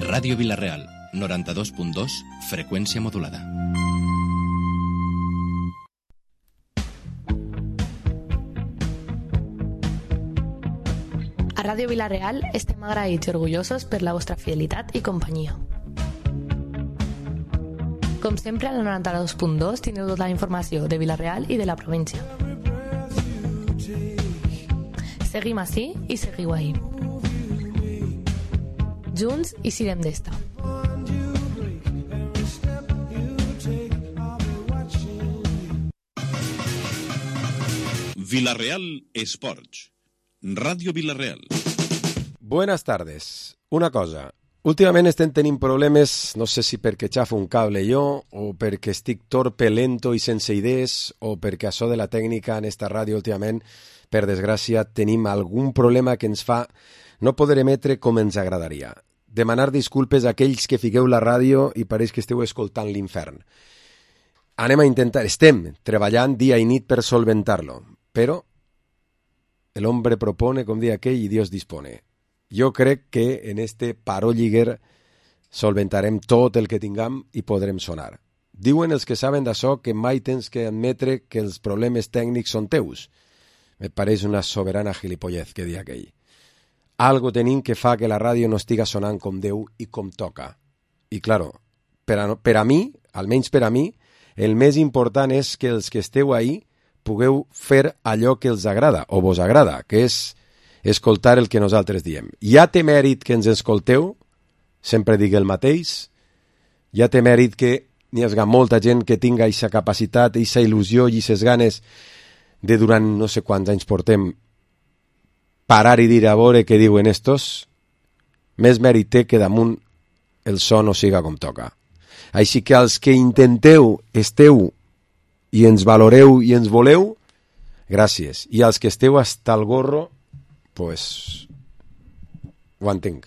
Ràdio Vila-real, 92.2, freqüència modulada. A Ràdio Vila-real estem agraïts i orgullosos per la vostra fidelitat i companyia. Com sempre, a la 92.2 tindreu tota la informació de Vila-real i de la província. Seguim ací i seguiu ahí. Junts i sirem d'esta. Vila-real Esports. Radio Vila-real. Buenas tardes. Una cosa. Últimament estem tenint problemes, no sé si perquè xafo un cable jo, o perquè estic torpe, lento i sense idees, o perquè això de la tècnica en esta ràdio últimament, per desgràcia, tenim algun problema que ens fa no poder emetre com ens agradaria. Demanar disculpes a aquells que fiqueu la ràdio i pareix que esteu escoltant l'infern. Estem treballant dia i nit per solventar-lo, però el hombre propone, com dia aquell, i Dios dispone. Jo crec que en este paró lliguer solventarem tot el que tinguem i podrem sonar. Diuen els que saben d'això que mai tens que admetre que els problemes tècnics són teus. Me pareix una soberana gilipollez que dia aquell. Algo tenim que fa que la ràdio no estiga sonant com Déu i com toca. I, claro, per a mi, almenys per a mi, el més important és que els que esteu ahí pugueu fer allò que els agrada, o vos agrada, que és escoltar el que nosaltres diem. Ja té mèrit que ens escolteu, sempre dic el mateix, ja té mèrit que n'hi hagi molta gent que tinga aquesta capacitat, aquesta il·lusió i aquestes ganes de durant no sé quants anys portem parar i dir a veure què diuen estos, més mèrit té que damunt el so no siga com toca. Així que els que intenteu, esteu i ens valoreu i ens voleu, gràcies. I els que esteu hasta el gorro, pues ho entenc.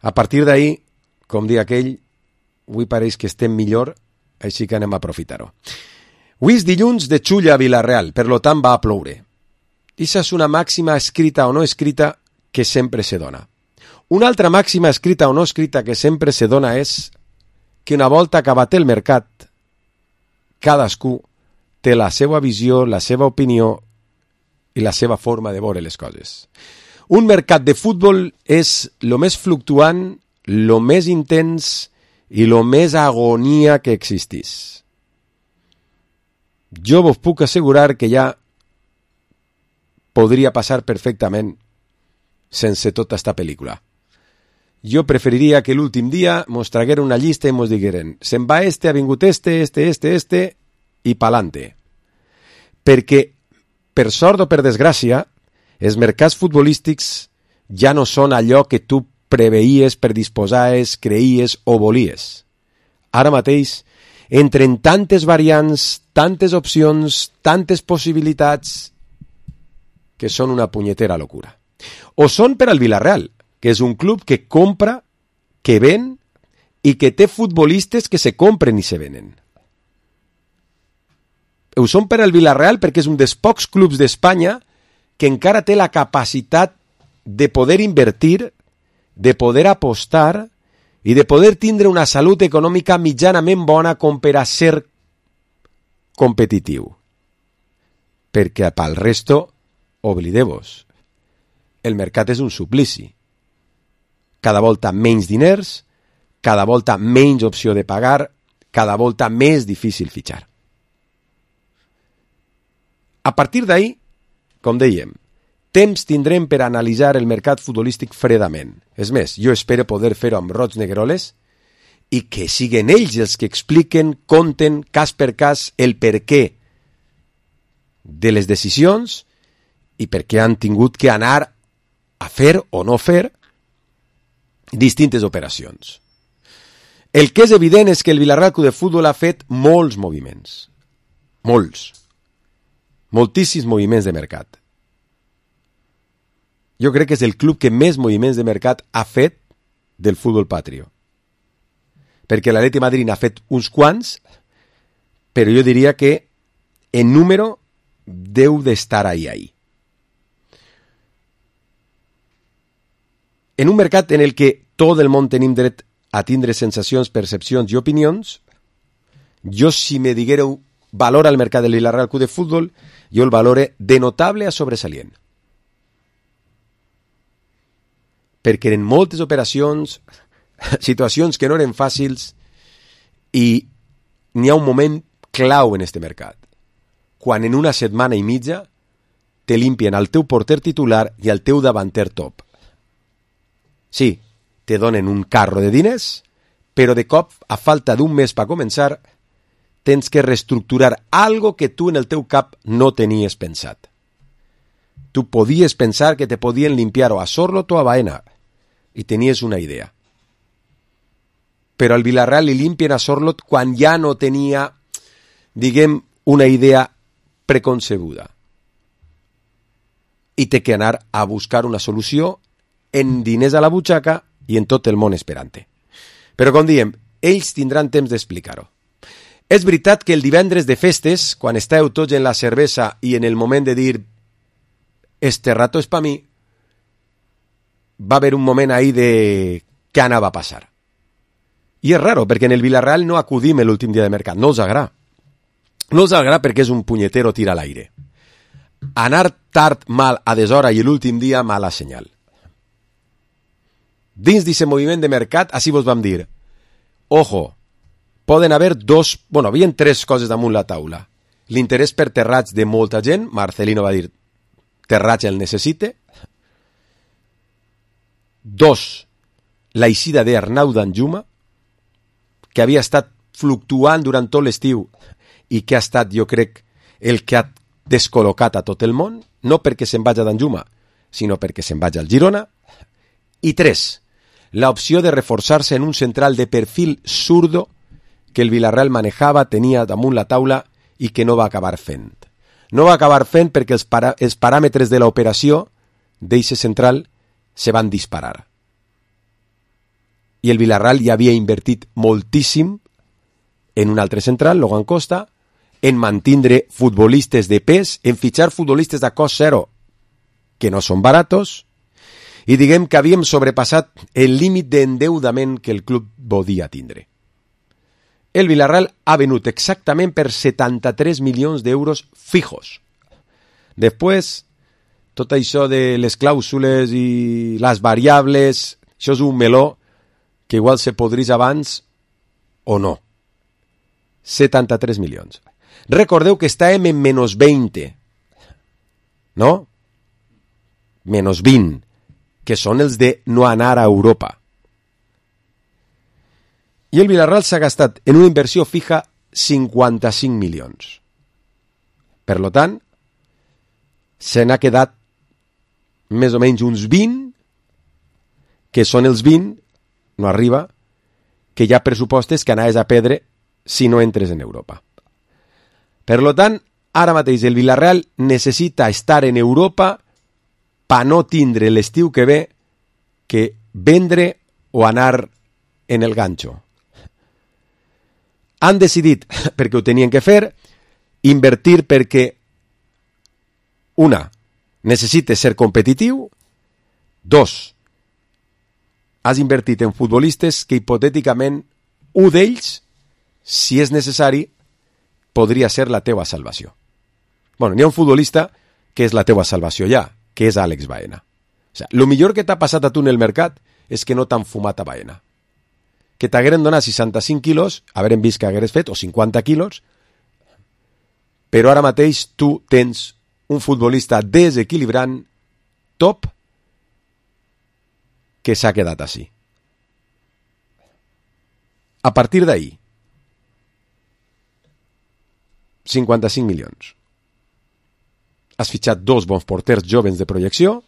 A partir d'ahir, com dia aquell, avui pareix que estem millor, així que anem a aprofitar-ho. Avui és dilluns de xulla a Vila-real, per lo tant va a ploure. Ixa és una màxima escrita o no escrita que sempre se dona. Una altra màxima escrita o no escrita que sempre se dona és que una volta acabat el mercat, cadascú té la seva visió, la seva opinió i la seva forma de veure les coses. Un mercat de futbol és lo més fluctuant, lo més intens i lo més agonia que existís. Jo vos puc assegurar que ja podria passar perfectament sense tota esta pel·lícula. Jo preferiria que l'últim dia mos tragueren una llista i mos digueren se'n va ha vingut este i pa'lante. Perquè, per sort o per desgràcia, els mercats futbolístics ja no són allò que tu preveies, predisposaves, creies o volies. Ara mateix, entren tantes variants, tantes opcions, tantes possibilitats, que són una punyetera locura. O són per al Vila-real, que és un club que compra, que ven i que té futbolistes que se compren i se venen. Ho són per al Vila-real perquè és un dels pocs clubs d'Espanya que encara té la capacitat de poder invertir, de poder apostar i de poder tindre una salut econòmica mitjanament bona com per a ser competitiu. Perquè pel resto, oblideu-vos, el mercat és un suplici. Cada volta menys diners, cada volta menys opció de pagar, cada volta més difícil fitxar. A partir d'ahir, com dèiem, temps tindrem per analitzar el mercat futbolístic fredament. És més, jo espero poder fer-ho amb rots negroles i que siguen ells els que expliquen, conten, cas per cas, el per què de les decisions i per què han tingut que anar a fer o no fer distintes operacions. El que és evident és que el Vila-real Club de Futbol ha fet molts moviments. Moltíssims moviments de mercat. Jo crec que és el club que més moviments de mercat ha fet del futbol patrio. Perquè l'Atleti Madrid n'ha fet uns quants, però jo diria que en número deu d'estar ahí. en un mercat en el que tot el món tenim dret a tindre sensacions, percepcions i opinions, jo si me diguéreu valora el mercat del Villarreal Club de Futbol, jo el valore de notable a sobresalient. Perquè eren moltes operacions, situacions que no eren fàcils, i n'hi ha un moment clau en este mercat, quan en una setmana i mitja te limpien el teu porter titular i el teu davanter top. Sí, te donen un carro de diners, però de cop, a falta d'un mes per començar, tens que reestructurar algo que tu en el teu cap no tenies pensat. Tu podies pensar que te podien limpiar o a Sorlot o a Baena, i tenies una idea. Però al Villarreal li limpien a Sorlot quan ja no tenia, diguem, una idea preconcebuda. I té que anar a buscar una solució en diners a la butxaca i en tot el món esperant-te. Però, com diem, ells tindran temps d'explicar-ho. És veritat que el divendres de festes, quan estàveu tots en la cervesa i en el moment de dir este rato és pa mi, va haver un moment ahí de què anava a passar. I és raro, perquè en el Villarreal no acudim l'últim dia de mercat, no els agrada. No els agrada perquè és un punyetero tir a l'aire. Anar tard mal a deshora i l'últim dia mala senyal. Dins d'aquest moviment de mercat, així vos vam dir, ojo, poden haver havien tres coses damunt la taula. L'interès per Terrats de molta gent, Marcelino va dir, Terrats el necessite. 2, la eixida d'Arnau Danjuma, que havia estat fluctuant durant tot l'estiu i que ha estat, jo crec, el que ha descol·locat a tot el món, no perquè se'n vagi a Danjuma, sinó perquè se'n vagi al Girona. I 3, l'opció de reforçar-se en un central de perfil zurdo que el Villarreal manejava, tenia damunt la taula i que no va acabar fent. No va acabar fent perquè els paràmetres de l'operació d'eixe central se van disparar. I el Villarreal ja havia invertit moltíssim en un altre central, Logan Costa, en mantindre futbolistes de pes, en fitxar futbolistes de cost zero, que no són baratos, i diguem que havíem sobrepassat el límit d'endeudament que el club podia tindre. El Villarreal ha venut exactament per 73 milions d'euros fijos. Després, tot això de les clàusules i les variables, això és un meló que igual se podrís abans o no. 73 milions. Recordeu que estàvem en menys 20, no? Menys 20, que són els de no anar a Europa. I el Villarreal s'ha gastat en una inversió fija 55 milions. Per lo tant, se n'ha quedat més o menys uns 20, que són els 20, no arriba, que hi ha pressupostes que anaves a perdre si no entres en Europa. Per lo tant, ara mateix el Villarreal necessita estar en Europa per no tindre l'estiu que ve que vendre o anar en el ganxo. Han decidit, perquè ho tenien que fer, invertir perquè, una, necessites ser competitiu, 2, has invertit en futbolistes que hipotèticament un d'ells, si és necessari, podria ser la teua salvació. Bueno, n'hi ha un futbolista que és la teua salvació ja, que és Àlex Baena. O sigui, el millor que t'ha passat a tu en el mercat és que no t'han fumat a Baena. Que t'hagueren donat 65 quilos, hagueren vist que hagueres fet, o 50 quilos, però ara mateix tu tens un futbolista desequilibrant, top, que s'ha quedat així. A partir d'ahí, 55 milions. Has fitxat 2 bons porters jovens de projecció,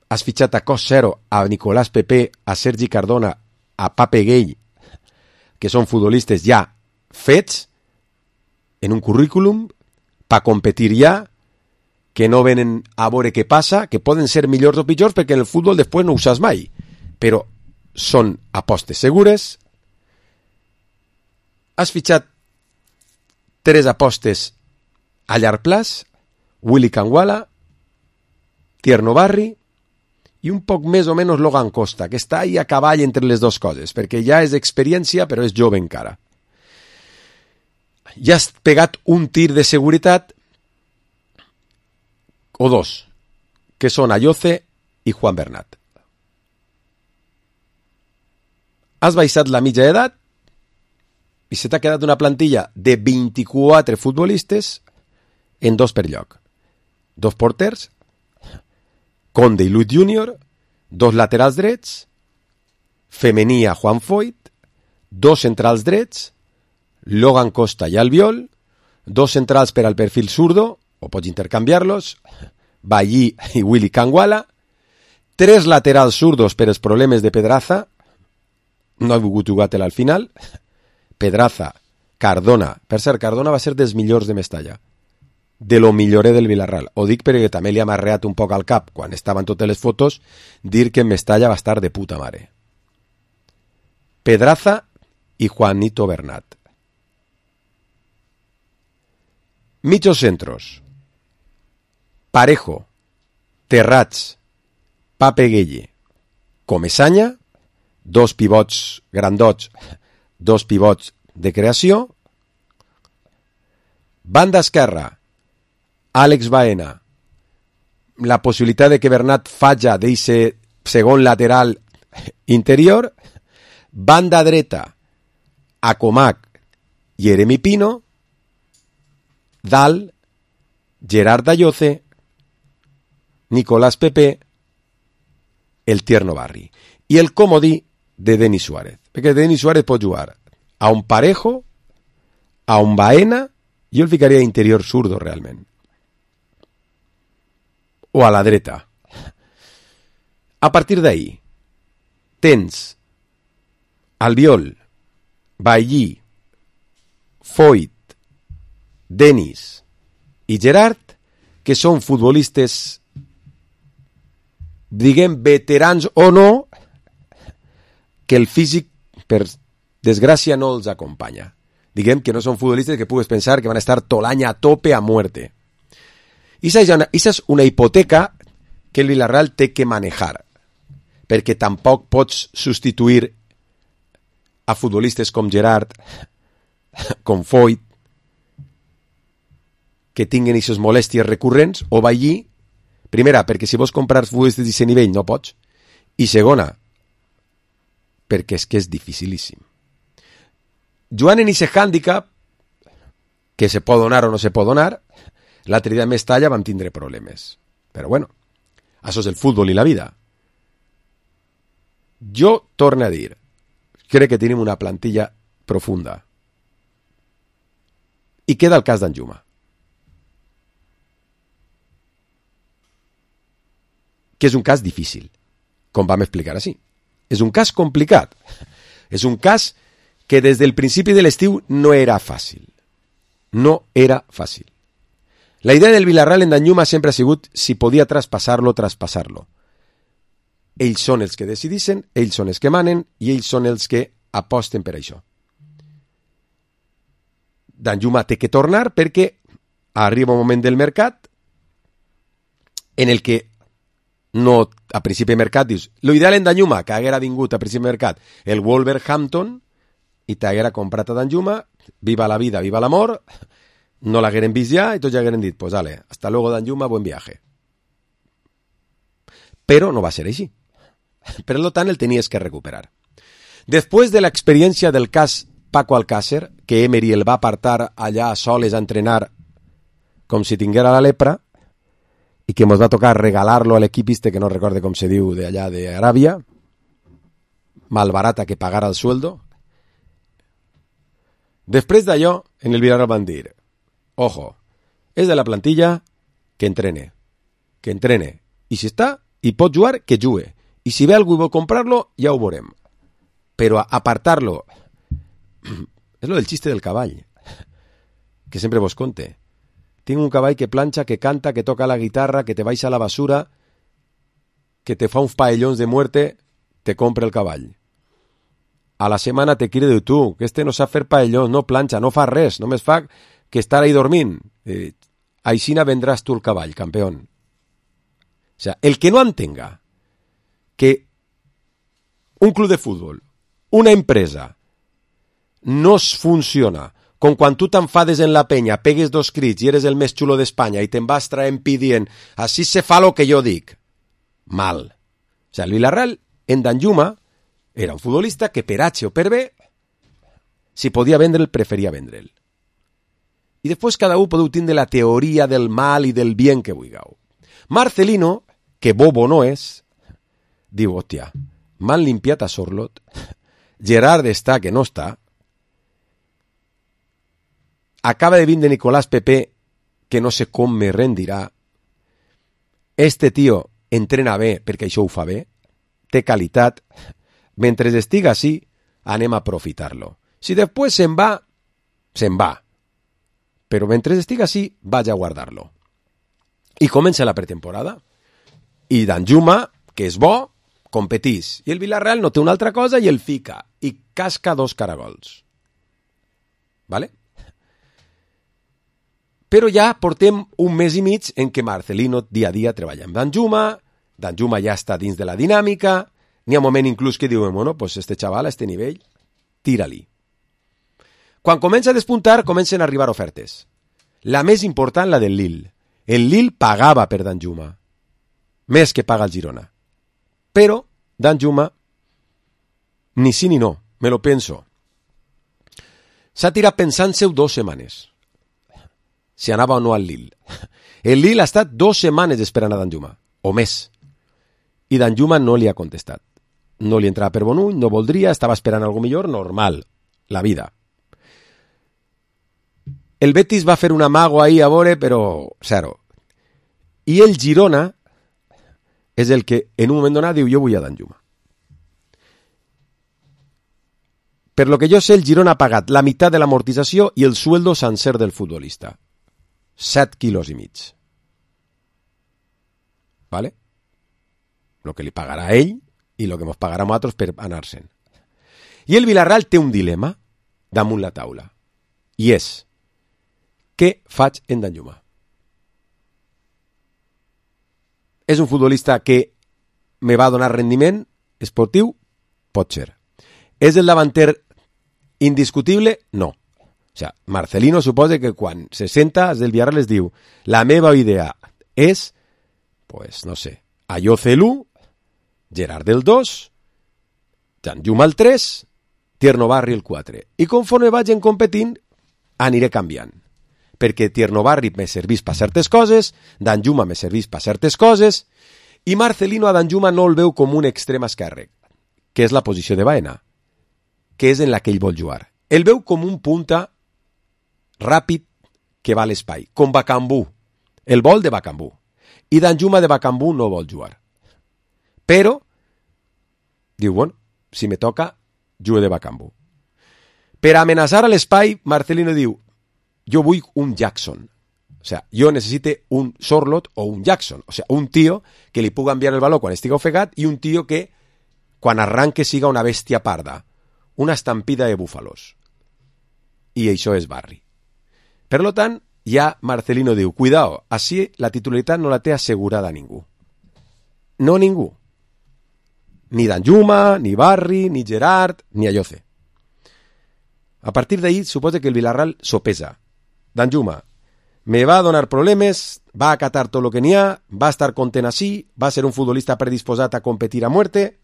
has fitxat a cost zero a Nicolás Pepe, a Sergi Cardona, a Pape Gay, que són futbolistes ja fets en un currículum per competir ja, que no venen a veure què passa, que poden ser millors o pitjors perquè en el futbol després no ho saps mai, però són apostes segures. Has fitxat 3 apostes a llarg plaç, Willy Kangwala, Tierno Barri i un poc més o menys Logan Costa, que està ahí a cavall entre les dues coses, perquè ja és experiència però és jove encara. Ja has pegat un tir de seguretat o dos, que són Ayoce i Juan Bernat. Has baixat la mitja edat i se t'ha quedat una plantilla de 24 futbolistes en 2 per lloc. 2 porters, Conde i Luis Junior, 2 laterals drets, femení a Juan Foyt, 2 centrals drets, Logan Costa i Albiol, 2 centrals per al perfil zurdo, o pots intercanviar-los, Ballí i Willy Canguala, 3 laterals zurdos per els problemes de Pedraza, no ha volgut jugar-te-la al final, Pedraza, Cardona, per cert, Cardona va ser dels millors de Mestalla, de lo millorer del Villarreal. Ho dic perquè també li ha marreat un poc al cap, quan estaven totes les fotos, dir que en Mestalla va estar de puta mare. Pedraza i Juanito Bernat. Mitjos centros. Parejo, Terrats, Pape Gueye, Comesaña, 2 pivots grandots, 2 pivots de creació. Banda esquerra, Àlex Baena, la possibilitat de que Bernat falla d'eixe segon lateral interior. Banda dreta, Acomac i Jeremy Pino. Dalt, Gerard Ayoce, Nicolás Pepe, el Tierno Barri. I el comodí de Denis Suárez. Perquè Denis Suárez pot jugar a un Parejo, a un Baena, jo el ficaria interior zurdo realment. O a la dreta. A partir d'ahí, tens Albiol, Ballí, Foyt, Denis i Gerard, que són futbolistes, diguem, veterans o no, que el físic, per desgràcia, no els acompanya. Diguem que no són futbolistes que pugues pensar que van a estar tot l'any a tope a muerte. Esa és una hipoteca que el Villarreal té que manejar, perquè tampoc pots substituir a futbolistes com Gerard, com Foyt, que tinguen aquestes molèsties recurrents, o Ballí, primera, perquè si vols comprar futbolistes d'aquest nivell no pots, i segona, perquè és que és dificilíssim. Joan en aquest hàndicap, que se pot donar o no se pot donar, l'altre dia a Mestalla vam tindre problemes. Però bueno, això és el futbol i la vida. Jo torno a dir, crec que tenim una plantilla profunda. I queda el cas d'Anjuma, que és un cas difícil, com vam explicar així. És un cas complicat. És un cas que des del principi de l'estiu no era fàcil. No era fàcil. La idea del Villarreal en Danjuma sempre ha sigut si podia traspassar-lo. Ells són els que decidixen, ells són els que manen i ells són els que aposten per això. Danjuma té que tornar perquè arriba un moment del mercat en el que no, a principi de mercat dius, l'ideal en Danjuma, que haguera vingut a principi de mercat el Wolverhampton i t'haguera comprat a Danjuma, viva la vida, viva l'amor, no l'hagueren vist ja i tots ja hagueren dit, pues dale, hasta luego Danjuma, buen viaje. Però no va ser així. Per tant, el tenies que recuperar. Després de l'experiència del cas Paco Alcácer, que Emery el va apartar allà a soles a entrenar com si tinguera la lepra, i que ens va tocar regalar-lo a l'equip que no recorde com se diu d'allà d'Aràbia, malbarata que pagara el sueldo. Després d'allò, en el Villarreal van dir, ojo, és de la plantilla que entrene, i si està i pot jugar, que jugue, i si ve algú i vol comprar-lo, ja ho veurem. Però apartar-lo, és lo del xiste del cavall, que sempre vos conte. Tinc un cavall que planxa, que canta, que toca la guitarra, que te baixa a la basura, que te fa uns paellons de muerte, te compra el cavall. A la setmana te crida tu, que este no sap fer paellons, no planxa, no fa res, només fa que estar ahí dormint. Aixina vendràs tu el cavall, campeón. O sea, el que no entenga que un club de futbol, una empresa, no es funciona com quan tu t'enfades en la penya, pegues 2 crits i eres el més xulo d'Espanya i te'n vas traient dient així se fa lo que jo dic. Mal. O sea, el Villarreal, en Danjuma, era un futbolista que per H o per B, si podia vendre'l, preferia vendre'l. I després cada un podeu tindre la teoria del mal i del bien que vulgueu. Marcelino, que bobo no és, diu, hòstia, m'han limpiat a Sorlot, Gerard està que no està, acaba de vindre Nicolás Pepe, que no sé com me rendirà, este tio entrena bé perquè això ho fa bé, té qualitat, mentre estiga així, anem a aprofitar-lo. Si després se'n va, se'n va. Però mentre estiga així, vaig a guardar-lo. I comença la pretemporada. I Danjuma, que és bo, competís. I el Villarreal no té una altra cosa i el fica. I casca 2 caragols. Vale? Però ja portem un mes i mig en què Marcelino dia a dia treballa amb Danjuma ja està dins de la dinàmica, n'hi ha un moment inclús que diuen, bueno, pues este xaval a este nivell, tira-li. Quan comença a despuntar, comencen a arribar ofertes. La més important, la del Lille. El Lille pagava per Danjuma, més que paga el Girona. Però Danjuma, ni sí ni no, me lo penso. S'ha tirat pensant-se-ho 2 setmanes. Si anava o no al Lille. El Lille ha estat 2 setmanes esperant a Danjuma, o més. I Danjuma no li ha contestat. No li entrava per bon ull, no voldria, estava esperant algo millor, normal, la vida. El Betis va fer un amago ahí a veure, però zero. I el Girona és el que en un moment donat diu, jo vull a Danjuma. Per lo que jo sé, el Girona ha pagat la meitat de l'amortització i el sueldo sencer del futbolista. 7 quilos i mig. ¿Vale? Lo que li pagarà a ell i lo que mos pagarà a nosaltres per anar-se'n. I el Villarreal té un dilema damunt la taula. I és, què faig en Danjuma? És un futbolista que me va donar rendiment esportiu? Pot ser. És el davanter indiscutible? No. O sea, Marcelino suposa que quan se senta des del Villarreal les diu la meva idea és, pues no sé, Ayoce l'1, Gerard el 2, Danjuma el 3, Tierno Barri el 4. I conforme vagin competint, aniré canviant. Perquè Tierno Barri me servís per certes coses, Danjuma me servís per certes coses, i Marcelino a Danjuma no el veu com un extrem esquerre, que és la posició de Baena, que és en la que ell vol jugar. El veu com un punta ràpid que va a l'espai, com Bakambu. El vol de Bakambu. I Danjuma de Bakambu no vol jugar. Però, diu, bueno, si me toca, jugo de Bakambu. Per amenaçar a l'espai, Marcelino diu, jo vull un Jackson. O sea, jo necessite un Sorlot o un Jackson. O sea, un tio que li puga enviar el baló quan estigui ofegat i un tio que, quan arranque, siga una bèstia parda. Una estampida de búfalos. I això és Barri. Per lo tant, ja Marcelino diu, cuidao, així la titularitat no la té assegurada ningú. No ningú. Ni Danjuma, ni Barri, ni Gerard, ni Ayoce. A partir d'ahí, suposa que el Villarreal sopesa. Danjuma me va a donar problemes, va a acatar tot lo que n'hi ha, va a estar content així, va a ser un futbolista predisposat a competir a muerte,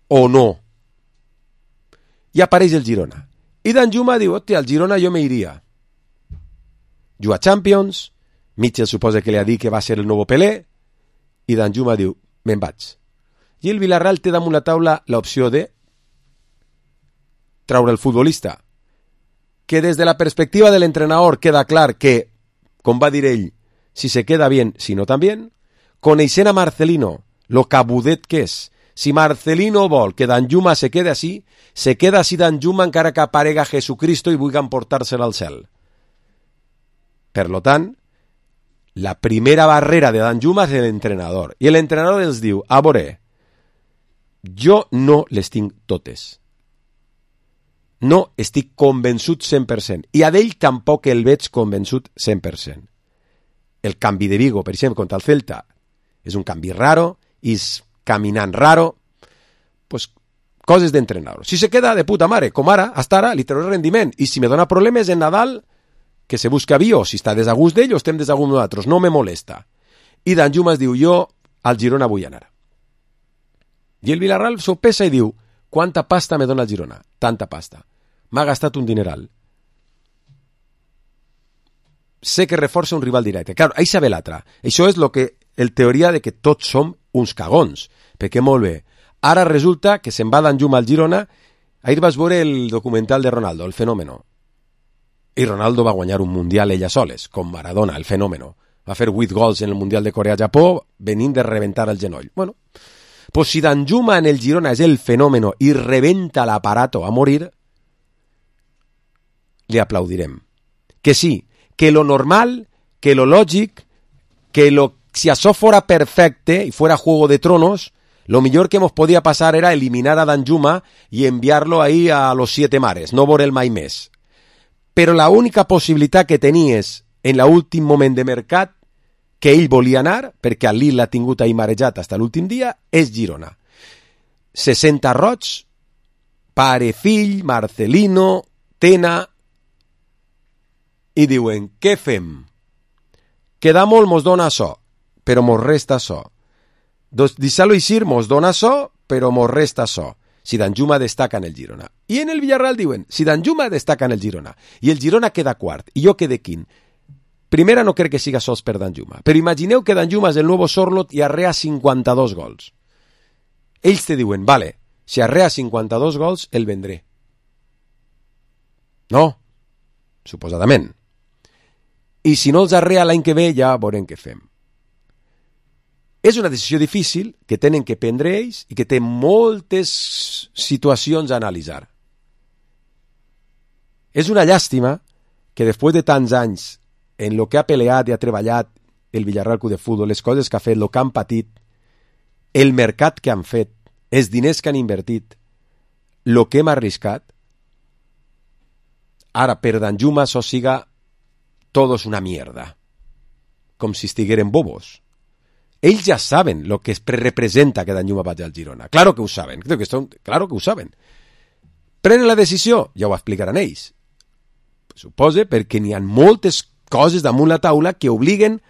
o no. I apareix el Girona. I Danjuma diu, hòstia, al Girona jo me iria. Juga Champions, Mitchell suposa que li ha dit que va ser el nou Pelé, i Danjuma diu, me'n vaig. I el Villarreal té damunt la taula l'opció de traure el futbolista, que des de la perspectiva de l'entrenador queda clar que, com va dir ell, si se queda bien, si no también, coneixent a Marcelino, lo cabudet que és, si Marcelino vol que Danjuma se quede així Danjuma encara que aparega Jesucristo i vulgui emportar-se'l al cel. Per lo tant, la primera barrera de Danjuma és l'entrenador. I l'entrenador els diu, a veure, jo no les tinc totes. No estic convençut 100%. I a d'ell tampoc el veig convençut 100%. El canvi de Vigo, per exemple, contra el Celta, és un canvi raro i és caminant raro, pues coses d'entrenador. Si se queda de puta mare, com ara, hasta ara, li treuré rendiment, i si me dona problemes en Nadal, que se busca avió, si està desagust d'ell o estem desagust nosaltres, no me molesta. I Danjuma es diu, jo al Girona vull anar. I el Villarreal s'ho pesa i diu, quanta pasta me dona el Girona? Tanta pasta. M'ha gastat un dineral. Sé que reforça un rival directe. Claro, ahí sabe l'altra. Això és lo que el teoria de que tots som uns cagons. Perquè molt bé. Ara resulta que se'n va Danjuma al Girona. Ahir vas veure el documental de Ronaldo, el fenómeno. I Ronaldo va guanyar un mundial ella soles, com Maradona, el fenómeno. Va fer 8 gols en el mundial de Corea-Japó venint de reventar el genoll. Bueno, pues si Danjuma en el Girona és el fenómeno i rebenta l'aparato a morir, li aplaudirem. Que sí, que lo normal, que lo lògic, que si això fora perfecte y fuera Juego de Tronos, lo mejor que nos podía pasar era eliminar a Danjuma y enviarlo ahí a los 7 mares, no veure el mai més. Però la única possibilitat que tenies en l'últim moment de mercat que ell volia anar, perquè a Lille l'ha tingut ahí marejat fins a l'últim dia, és Girona. 60 roig, pare, fill, Marcelino, Tena, i diuen, què fem? Queda molt, mos dona això, però mos resta això. Deixar-lo eixir, mos dona això, però mos resta això. Si Danjuma destaca en el Girona. I en el Villarreal diuen, si Danjuma destaca en el Girona, i el Girona queda quart, i jo quede quint, primera no crec que siga sols per Danjuma, però imagineu que Danjuma és el nou Sorlot i arrea 52 gols. Ells te diuen, vale, si arrea 52 gols, el vendré. No, suposadament. I si no els arrea l'any que ve, ja veurem què fem. És una decisió difícil que tenen que prendre ells i que té moltes situacions a analitzar. És una llàstima que després de tants anys en lo que ha peleat i ha treballat el Villarreal Club de Futbol, les coses que ha fet, el que han patit, el mercat que han fet, els diners que han invertit, el que hem arriscat, ara per Danjuma això siga todo es una mierda, com si estigueren bobos. Ells ja saben lo que representa que Danjuma vagi al Girona. Claro que ho saben. Claro que ho saben. Prenen la decisió, ja ho explicaran ells. Suposa perquè n'hi ha moltes coses damunt la taula que obliguen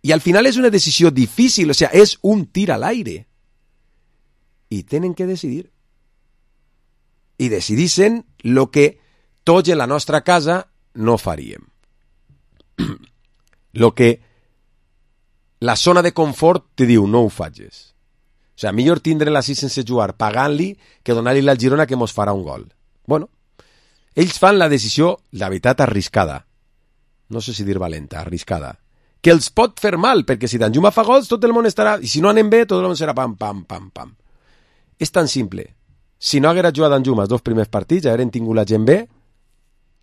i al final és una decisió difícil, o sea, és un tir a l'aire. I tenen que decidir. I decidissin lo que tots en la nostra casa no faríem. Lo que la zona de confort te diu, no ho facis. O sigui, millor tindre-la així sense jugar, pagant-li, que donar-li al Girona que mos farà un gol. Bueno, ells fan la decisió, la veritat, arriscada. No sé si dir valenta, arriscada. Que els pot fer mal, perquè si Danjuma fa gols, tot el món estarà... I si no anem bé, tot el món serà pam, pam, pam, pam. És tan simple. Si no haguera jugat Danjuma els 2 primers partits, ja hagueren tingut la gent bé,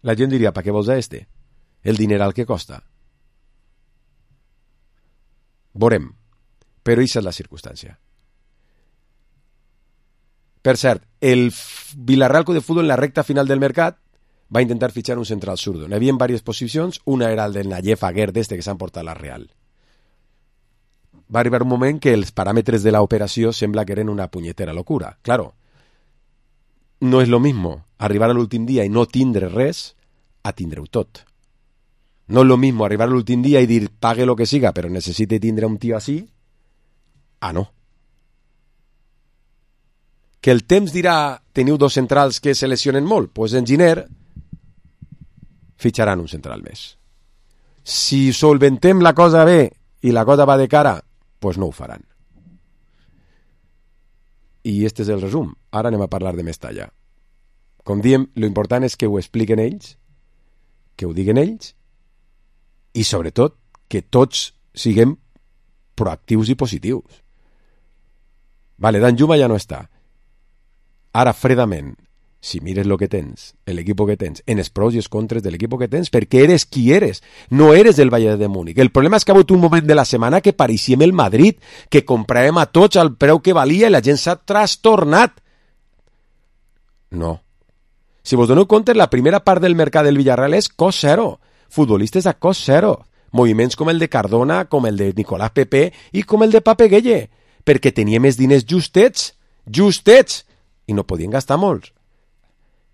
la gent diria, ¿para qué vols a este? El dineral que costa. Veurem. Però aquesta és la circumstància. Per cert, el Villarreal Club de Futbol en la recta final del mercat va intentar fitxar un central zurdo. N'hi havia diverses posicions, una era el del Nayef Aguer d'este que s'han portat a la Real. Va arribar un moment que els paràmetres de l'operació sembla que eren una punyetera locura. Claro, no és lo mismo arribar a l'últim dia i no tindre res a tindre-ho tot. No és lo mismo arribar a l'últim dia i dir pague lo que siga, però necessite tindre un tio així. Ah, no. Que el temps dirà teniu 2 centrals que se lesionen molt, doncs en Giner fitxaran un central més. Si solventem la cosa bé i la cosa va de cara, doncs no ho faran. I este és el resum. Ara anem a parlar de Mestalla. Com diem, lo important és que ho expliquen ells, que ho diguen ells, i sobretot que tots siguem proactius i positius. Vale, Danjuma ja no està. Ara, fredament, si mires lo que tens, l'equip que tens, en els pros i els contres de l'equip que tens, perquè eres qui eres, no eres del Bayern de Múnich. El problema és que ha hagut un moment de la setmana que pareixíem el Madrid, que compràvem a tots al preu que valia i la gent s'ha trastornat. No. Si vos doneu compte, la primera part del mercat del Villarreal és cost zero. Futbolistes a cost zero. Moviments com el de Cardona, com el de Nicolás Pepe i com el de Pape Gueye. perquè tenia més diners justets, i no podien gastar molts.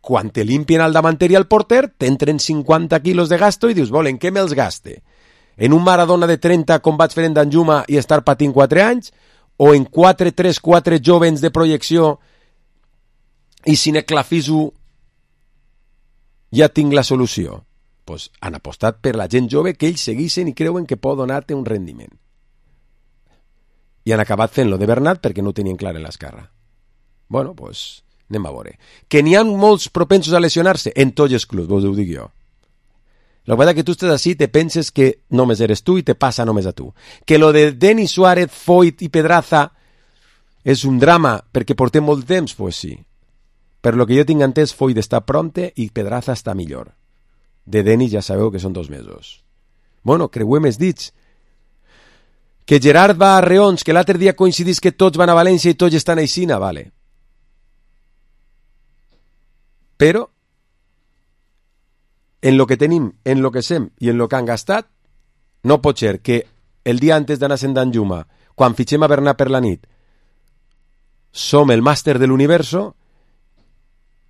Quan te limpien al davanter i al porter, t'entren 50 quilos de gasto i dius, en què me'ls gaste? En un Maradona de 30 com vaig fer en Danjuma i estar patint 4 anys? O en 4-3-4 jovens de projecció i si n'eclafiso ja tinc la solució? Pues han apostat per la gent jove que ells segueixen i creuen que pot donar-te un rendiment. I han acabat fent-lo de Bernat perquè no ho tenien clar en l'esquerra. Bueno, pues anem a veure. Que n'hi ha molts propensos a lesionar-se en tots els clubs, ho dic jo. La veritat que tu estàs així, te penses que només eres tu i te passa només a tu. Que lo de Denis Suárez, Foyt i Pedraza és un drama perquè portem molt temps, pues sí. Per lo que jo tinc entès, Foyt està pronte i Pedraza està millor. De Denis ja sabeu que són 2 mesos. Bueno, creuem els dits. Que Gerard va a Reons, que l'altre dia coincidís que tots van a València i tots estan a Ixina, vale. Però en lo que tenim, en lo que sem i en lo que han gastat, no pot ser que el dia antes d'anar a Danjuma, quan fitxem a Bernat per la nit, som el màster de l'universo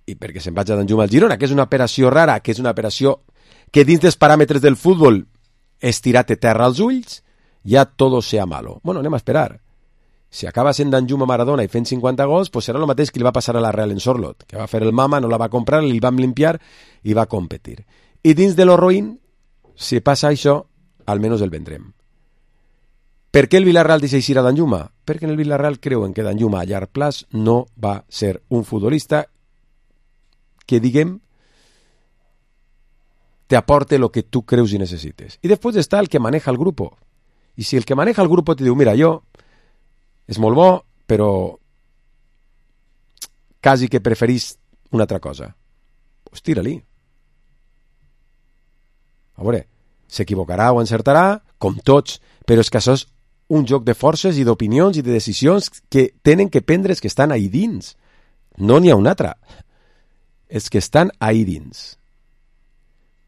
i perquè se'n vaig a Danjuma al Girona, que és una operació rara, que és una operació que dins dels paràmetres del futbol és tirar-te terra als ulls, ja todo sea malo. Bueno, anem a esperar. Si acaba sent Danjuma Maradona i fent 50 gols, pues serà el mateix que li va passar a la Real en Sorlot, que va fer el mama, no la va comprar, li vam limpiar i va competir. I dins de lo roïn, si passa això, almenys el vendrem. Per què el Villarreal deixa eixir a Danjuma? Perquè en el Villarreal creuen que Danjuma a llarg plaç no va ser un futbolista que, diguem, te aporte lo que tu creus i necessites. I després està el que maneja el grup. I si el que maneja el grup te diu, mira, jo és molt bo, però quasi que preferís una altra cosa, pues tira-li. A veure, s'equivocarà o encertarà, com tots, però és que això és un joc de forces i d'opinions i de decisions que tenen que prendre els que estan ahí dins. No n'hi ha un altre. Els que estan ahí dins.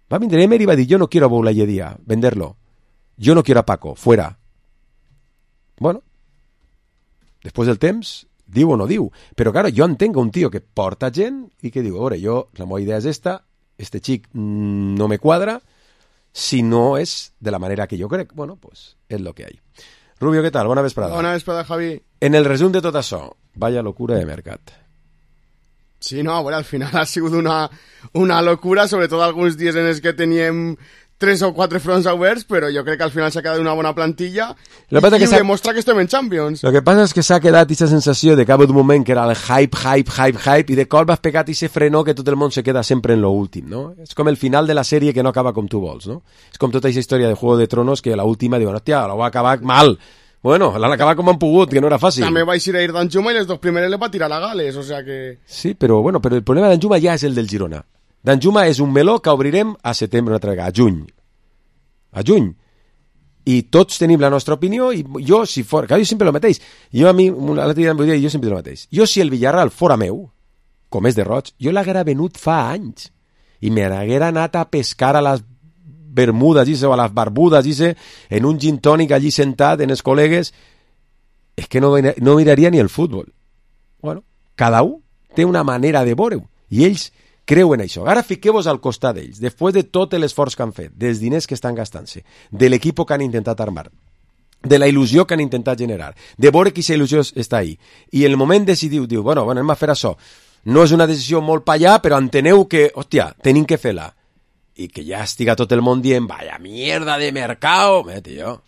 Va vindre Emery i va dir, yo no quiero a Boulaye venderlo. Yo no quiero a Paco, fuera. Bueno, després del temps, diu o no diu. Però, claro, jo entenc un tio que porta gent i que diu, a veure, jo, la meva idea és esta, este xic no me quadra, si no és de la manera que jo crec. Bueno, pues és lo que hay. Rubio, què tal? Bona vesprada. Bona vesprada, Javi. En el resum de tot això, vaya locura de mercat. Sí, no, bueno, al final ha sigut una locura, sobretot alguns dies en els que teníem 3 o 4 fronts oberts, però jo crec que al final s'ha quedat una bona plantilla i demostra que estem en Champions. Lo que passa és que s'ha quedat aquesta sensació de que d'un moment que era el hype, i de cop has pegat i se frenó que tot el món se queda sempre en lo últim, no? És com el final de la sèrie que no acaba com tu vols, no? És com tota aquesta història de Juego de Tronos que la última diuen, hòstia, la va acabar mal. Bueno, l'han acabat com han pogut, que no era fàcil. També va eixir a ir Danjuma i les 2 primeres le va tirar a Gales, o sea que... Sí, però el problema de Danjuma ja és el del Girona. Danjuma és un meló que obrirem a setembre una altra vegada, a juny. I tots tenim la nostra opinió i jo, si fora... Clar, jo sempre el mateix. Jo sempre el mateix. Jo, si el Villarreal fora meu, com és de roig, jo l'haguera venut fa anys i me n'haguera anat a pescar a les Bermudes o a les Barbudes en un gin tònic allí sentat en els col·legues. És que no miraria ni el futbol. Bueno, cada un té una manera de veure-ho i ells creuen això. Ara fiqueu-vos al costat d'ells, després de tot l'esforç que han fet, dels diners que estan gastant-se, de l'equip que han intentat armar, de la il·lusió que han intentat generar, de veure que aquesta il·lusió està ahí. I el moment decidiu, diu, bueno, anem a fer això. No és una decisió molt pa allà, però enteneu que, hòstia, tenim que fer-la. I que ja estiga tot el món dient, vaya mierda de mercado. Tio,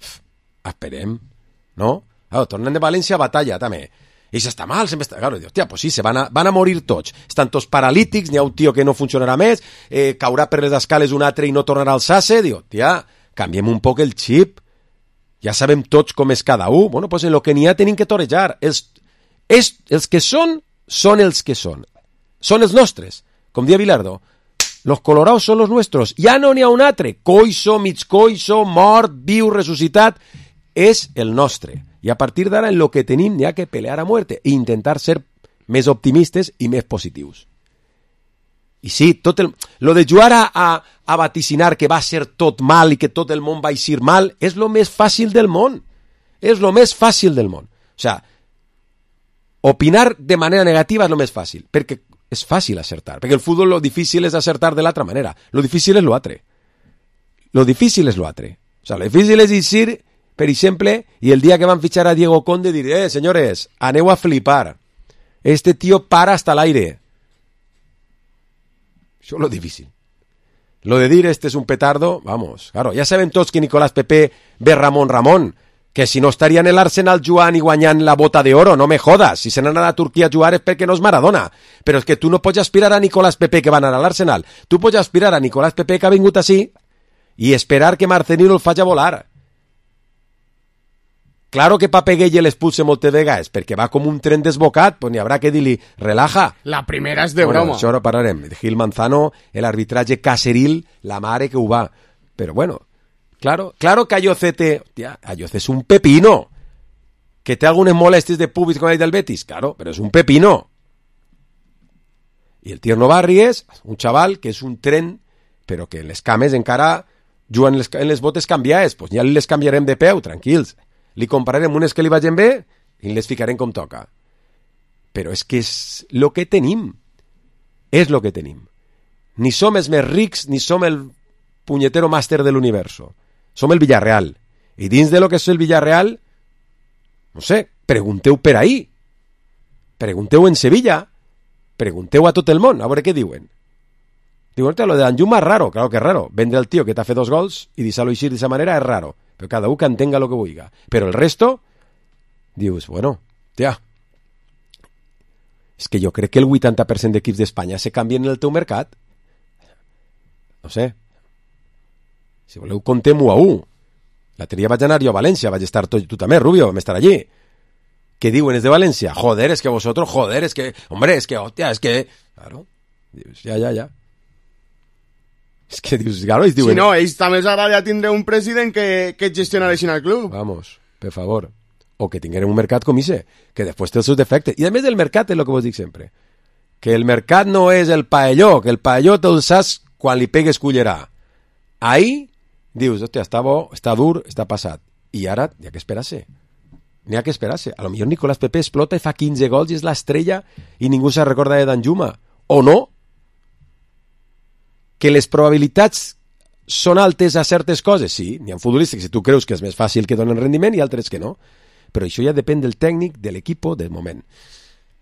esperem, no? Tornem de València a batalla, també. I si està mal, sempre està... Claro, hòstia, pues sí, van a morir tots. Estan tots paralítics, n'hi ha un tio que no funcionarà més, caurà per les escales un altre i no tornarà a alçar-se. Diu, tia, canviem un poc el xip. Ja sabem tots com és cada un. Bueno, pues en lo que n'hi ha tenim que torejar. Els que són els que són. Són els nostres. Com dia Bilardo, los colorados són los nuestros. Ja no n'hi ha un altre. Coixo, mig coixo, mort, viu, ressuscitat. És el nostre. I a partir d'ara, en lo que tenim, n'hi ha que pelear a muerte i intentar ser més optimistes i més positius. I sí, lo de jugar a vaticinar que va ser tot mal i que tot el món va eixir mal és lo més fàcil del món. És lo més fàcil del món. O sea, Opinar de manera negativa és el més fàcil, perquè és fàcil acertar, perquè el futbol lo difícil és acertar de l'altra manera, lo difícil és lo altre. Lo difícil és lo altre. O sea, lo difícil és dir, per exemple, i el dia que van fitxar a Diego Conde dir, senyores, aneu a flipar. Este tío para hasta l'aire. Això és lo difícil. Lo de dir este es un petardo, vamos, claro, ja sabem tots que Nicolás Pepe ve Ramon, que si no estaria en l'Arsenal jugant i guanyant la bota d'oro, no me jodas, si se n'han anat a Turquia a jugar és perquè no és Maradona, però és que tu no pots aspirar a Nicolás Pepe que va anar a l'Arsenal, tu pots aspirar a Nicolás Pepe que ha vingut així i esperar que Marcelino el faci volar. Claro que Pape Gueye l'expulse moltes vegades, perquè va com un tren desbocat, pues n'hi haurà que dir-li, relaja. La primera és de broma. Això ara parlarem. Gil Manzano, el arbitratge caseril, la mare que ho va. Però bueno, claro que Ayocete, hòstia, Ayoce és un pepino. Que té algunes molèsties de públic com el del Betis, claro, però és un pepino. I el Tierno Barri és un xaval que és un tren, però que les cames encara juguen en les botes canviades, pues ja les canviarem de peu, tranquils. Li compararem unes que li vagin bé i les ficarem com toca. Però és que és el que tenim. És el que tenim. Ni som els més rics, ni som el punyetero màster de l'universo. Som el Villarreal. I dins de lo que és el Villarreal, no sé, pregunteu per ahí. Pregunteu en Sevilla. Pregunteu a tot el món, a veure què diuen. Diuen, lo de Danjuma és raro, claro que és raro. Vendre el tio que t'ha fet 2 gols i deixar-lo eixir d'aquesta manera és raro. Però cada un que entenga lo que vulgui. Però el resto, dius, bueno, tia, és que jo crec que el 80% d'equips d'Espanya se canvien en el teu mercat. No sé. Si voleu, contem 1 a 1. L'altre dia vaig anar jo a València, vaig estar tu també, Rubio, vam estar allí. Què diuen els de València? Joder, es que vosotros, joder, es que, hombre, es que, hostia, es que... Claro, dius, ja. És que dius, claro, ells diuen... Si no, ells també els agradaria tindre un president que gestionareixin el club. Vamos, per favor. O que tinguem un mercat com ese, que després té els seus defectes. I a més del mercat és el que vos dic sempre. Que el mercat no és el paelló, que el paelló te'l saps quan li pegues cullerà. Ahí dius, hòstia, està bo, està dur, està passat. I ara, n'hi ha que esperar-se. N'hi ha que esperar-se. A lo millor Nicolás Pepe explota i fa 15 gols i és l'estrella i ningú se recorda de Danjuma. O no? Que les probabilitats són altes a certes coses, sí, n'hi ha futbolistes que si tu creus que és més fàcil que donen rendiment i altres que no, però això ja depèn del tècnic, de l'equip, del moment.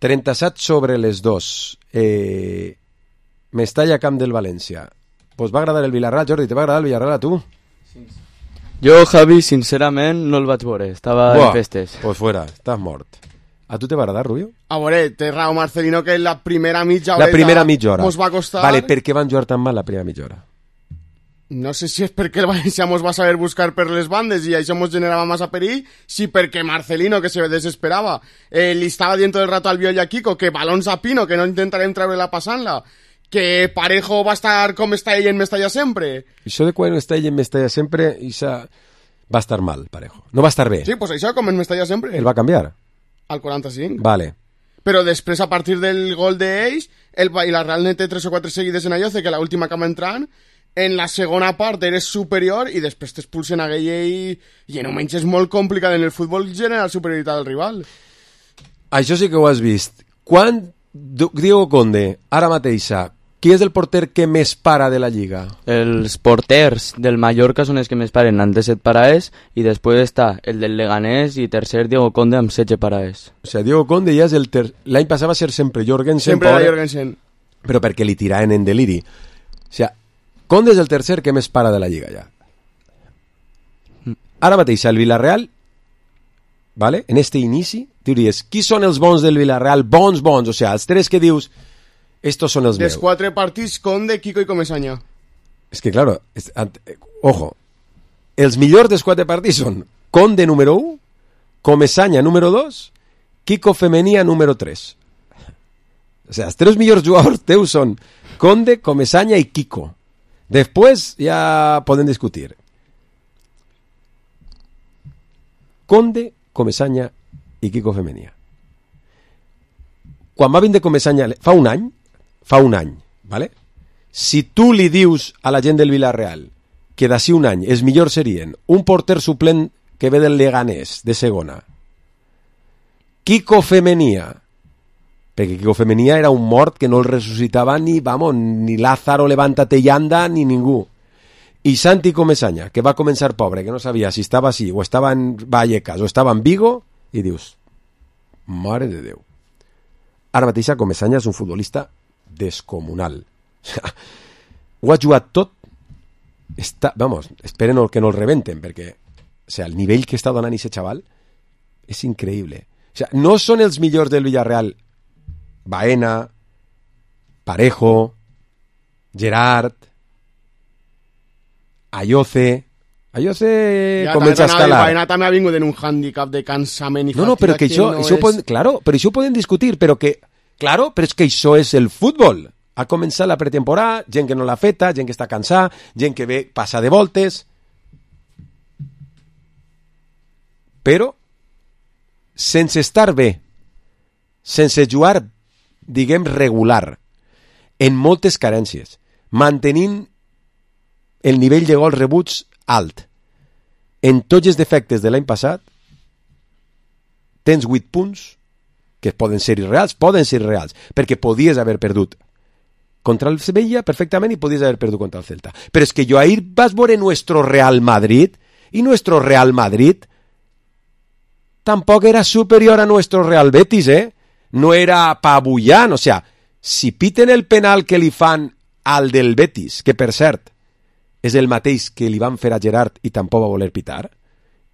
37 sobre les 2. Mestalla, Camp del València. Pues va agradar el Villarreal, Jordi, te va agradar el Villarreal a tu? Jo, Javi, sincerament no el vaig veure, estava en festes. Pues fuera, estàs mort. A tu te va agradar, Rubio? A veure, té raó Marcelino que la primera mitja hora... La primera mitja hora. Mos va costar... Vale, per què van jugar tan mal la primera mitja hora? No sé si és perquè el València mos va saber buscar per les bandes i això mos generava massa perill, si perquè Marcelino, que se desesperava, li estava dient tot el rato al Biol i a Kiko que balons a Pino, que no intentarem treure-la passant-la, que Parejo va estar com està ell en Mestalla sempre. Això de quan està ell en Mestalla sempre, va estar mal, Parejo. No va estar bé. Sí, pues això com en Mestalla sempre. El va canviar. Al 45. Vale. Però després, a partir del gol d'ells, i la Real té 3 o 4 seguides en Ayoce, que l'última que va entrant, en la segona part eres superior i després t'expulsen a Gueye i en un menys és molt complicat en el futbol generar superioritat del rival. Això sí que ho has vist. Quan Diego Conde, ara mateixa, qui és el porter que més para de la Lliga? Els porters del Mallorca són els que més paren, amb 17 paraes, i després està el del Leganés i tercer Diego Conde amb 16 paraes. O sigui, Diego Conde ja és el l'any passat va ser sempre Jorgensen. Sempre era Jorgensen. Però perquè li tiraven en deliri. O sigui, Conde és el tercer que més para de la Lliga ja. Ara mateix el Villarreal, vale? En este inici, diries, qui són els bons del Villarreal? Bons, o sigui, els 3 que dius... Estos son els meus. Dels 4 partits, Conde, Kiko i Comesaña. És que, claro, ojo, els millors dels 4 partits són Conde número 1, Comesaña número 2, Kiko Femenia número 3. O sigui, els 3 millors jugadors teus són Conde, Comesaña i Kiko. Després ja podem discutir. Conde, Comesaña i Kiko Femenia. Quan va vindre Comesaña, fa un any, ¿vale? Si tu li dius a la gent del Villarreal que d'ací un any els millors serien un porter suplent que ve del Leganés, de segona, Kiko Femenia perquè Quico Femenia era un mort que no el ressuscitava ni Lázaro Levántate y anda ni ningú. I Santi Comesaña, que va començar pobre, que no sabia si estava així, o estava en Vallecas, o estava en Vigo, i dius, mare de Déu. Ara mateix Comesaña és un futbolista descomunal. Ho ha jugat tot. Esperen que no el rebenten, perquè el nivell que està donant aquest xaval és increïble. No són els millors del Villarreal Baena, Parejo, Gerard, Ayoce comença a escalar. Baena també ha vingut en un hàndicap de cansament i fatiga. Però que això ho poden discutir, però és que això és el futbol. Ha començat la pretemporada, gent que no l'ha feta, gent que està cansada, gent que ve passa de voltes. Però sense estar bé, sense jugar, diguem, regular, en moltes carències, mantenint el nivell de gols rebuts alt, en tots els defectes de l'any passat, tens 8 punts que poden ser irreals, perquè podies haver perdut contra el Sevilla perfectament i podies haver perdut contra el Celta. Però és que jo ahir vas veure nuestro Real Madrid, i nuestro Real Madrid tampoc era superior a nuestro Real Betis, no era apabullant, o sea, si piten el penal que li fan al del Betis, que per cert és el mateix que li van fer a Gerard i tampoc va voler pitar,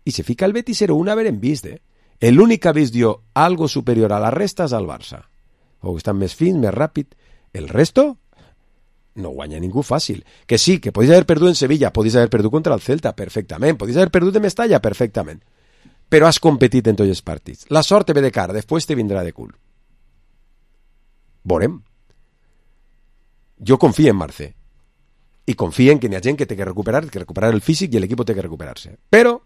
i se fica el Betis 0-1 haver vist, l'únic que ha vist jo algo superior a la resta és al Barça, o estan més fins, més ràpid, el resto no guanya ningú fàcil, que sí, que podies haver perdut en Sevilla, podies haver perdut contra el Celta, perfectament, podies haver perdut en Mestalla, perfectament, però has competit en tots els partits, la sort te ve de cara, després te vindrà de cul. Veurem. Jo confio en Marcé, i confien que hi ha gent que té que recuperar el físic i l'equip té que recuperar-se. Però,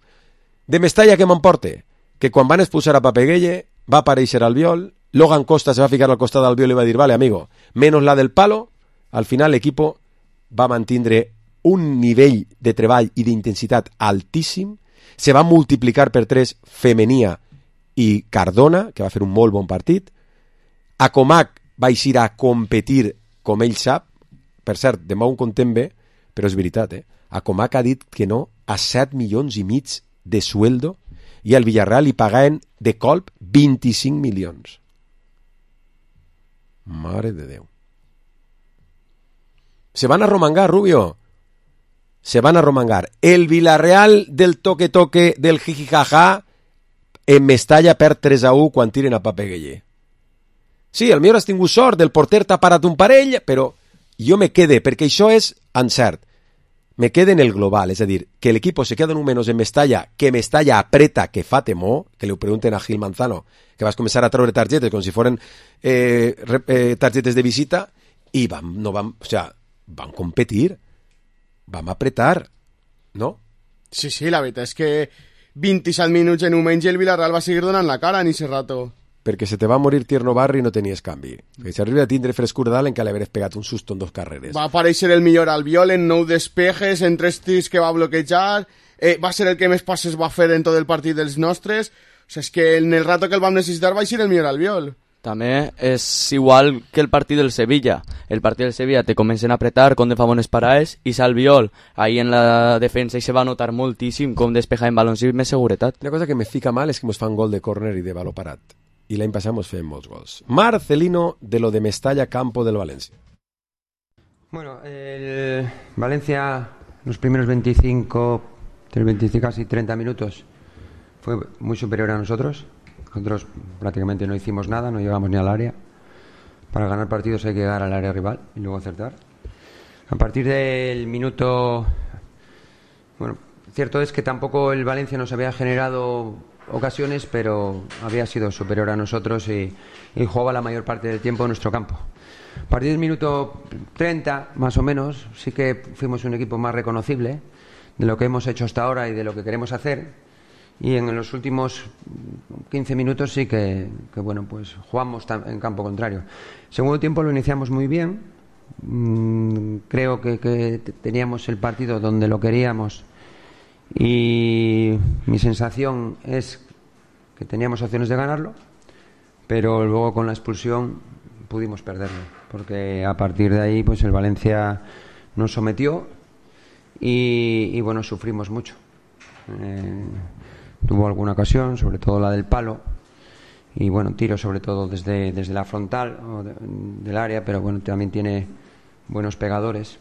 de Mestalla que m'emporte, que quan van expulsar a Papeguelle va aparèixer Albiol, Logan Costa se va ficar al costat d'Albiol i va dir, vale, amigo, menos la del palo, al final l'equip va mantindre un nivell de treball i d'intensitat altíssim, se va multiplicar per 3 Femenia i Cardona, que va fer un molt bon partit, Acomac va eixir a competir com ell sap. Per cert, demà un contem bé, però és veritat, Acomac ha dit que no a 7,5 milions de sueldo i al Villarreal li pagaven de colp 25 milions. Mare de Déu. Se van a romangar, Rubio. Se van a romangar. El Villarreal del toque-toque, del jijijaja, en Mestalla perd 3-1 quan tiren a Papeguelle. Sí, el millor has tingut sort, el porter t'ha parat un parell, però jo me quede, perquè això és encert, me quede en el global, és a dir, que l'equip se queda un menys en Mestalla, que Mestalla apreta, que fa temor, que li pregunten a Gil Manzano, que vas començar a treure targetes com si foren targetes de visita, i vam competir, vam apretar, no? Sí, la veritat és que 27 minuts en un menys el Villarreal va seguir donant la cara en ese rato. Perquè se te va morir Tierno Barri i no tenies canvi. Que si arriba a tindre frescura dalt en que l'haver pegat un susto en 2 carreres. Va aparèixer el millor Albiol en 9 despejes, en 3 tirs que va bloquejar, va ser el que més passes va fer en tot el partit dels nostres. O sigui, és que en el rato que el vam necessitar va ser el millor Albiol. També és igual que el partit del Sevilla. El partit del Sevilla te comencen a apretar com de fa bones parades i Albiol ahí en la defensa i se va notar moltíssim com despeja en balons i més seguretat. Una cosa que me fica mal és que ens fan gol de córner i de baló parat. I l'any passat ens feien molts gols. Marcelino, de lo de Mestalla, campo del Valencia. Bueno, el Valencia, los primeros 25, casi 30 minutos, fue muy superior a nosotros. Nosotros prácticamente no hicimos nada, no llegamos ni al área. Para ganar partidos hay que llegar al área rival y luego acertar. A partir del minuto... Bueno, cierto es que tampoco el Valencia nos había generado ocasiones, pero había sido superior a nosotros y jugaba la mayor parte del tiempo en nuestro campo. A partir del minuto 30, más o menos, sí que fuimos un equipo más reconocible de lo que hemos hecho hasta ahora y de lo que queremos hacer. Y en los últimos 15 minutos sí que bueno, pues jugamos en campo contrario. Segundo tiempo lo iniciamos muy bien. Creo que teníamos el partido donde lo queríamos. Y mi sensación es que teníamos opciones de ganarlo, pero luego con la expulsión pudimos perderlo, porque a partir de ahí pues el Valencia nos sometió y bueno, sufrimos mucho. Tuvo alguna ocasión, sobre todo la del palo, y bueno, tiro sobre todo desde la frontal del área, pero bueno, también tiene buenos pegadores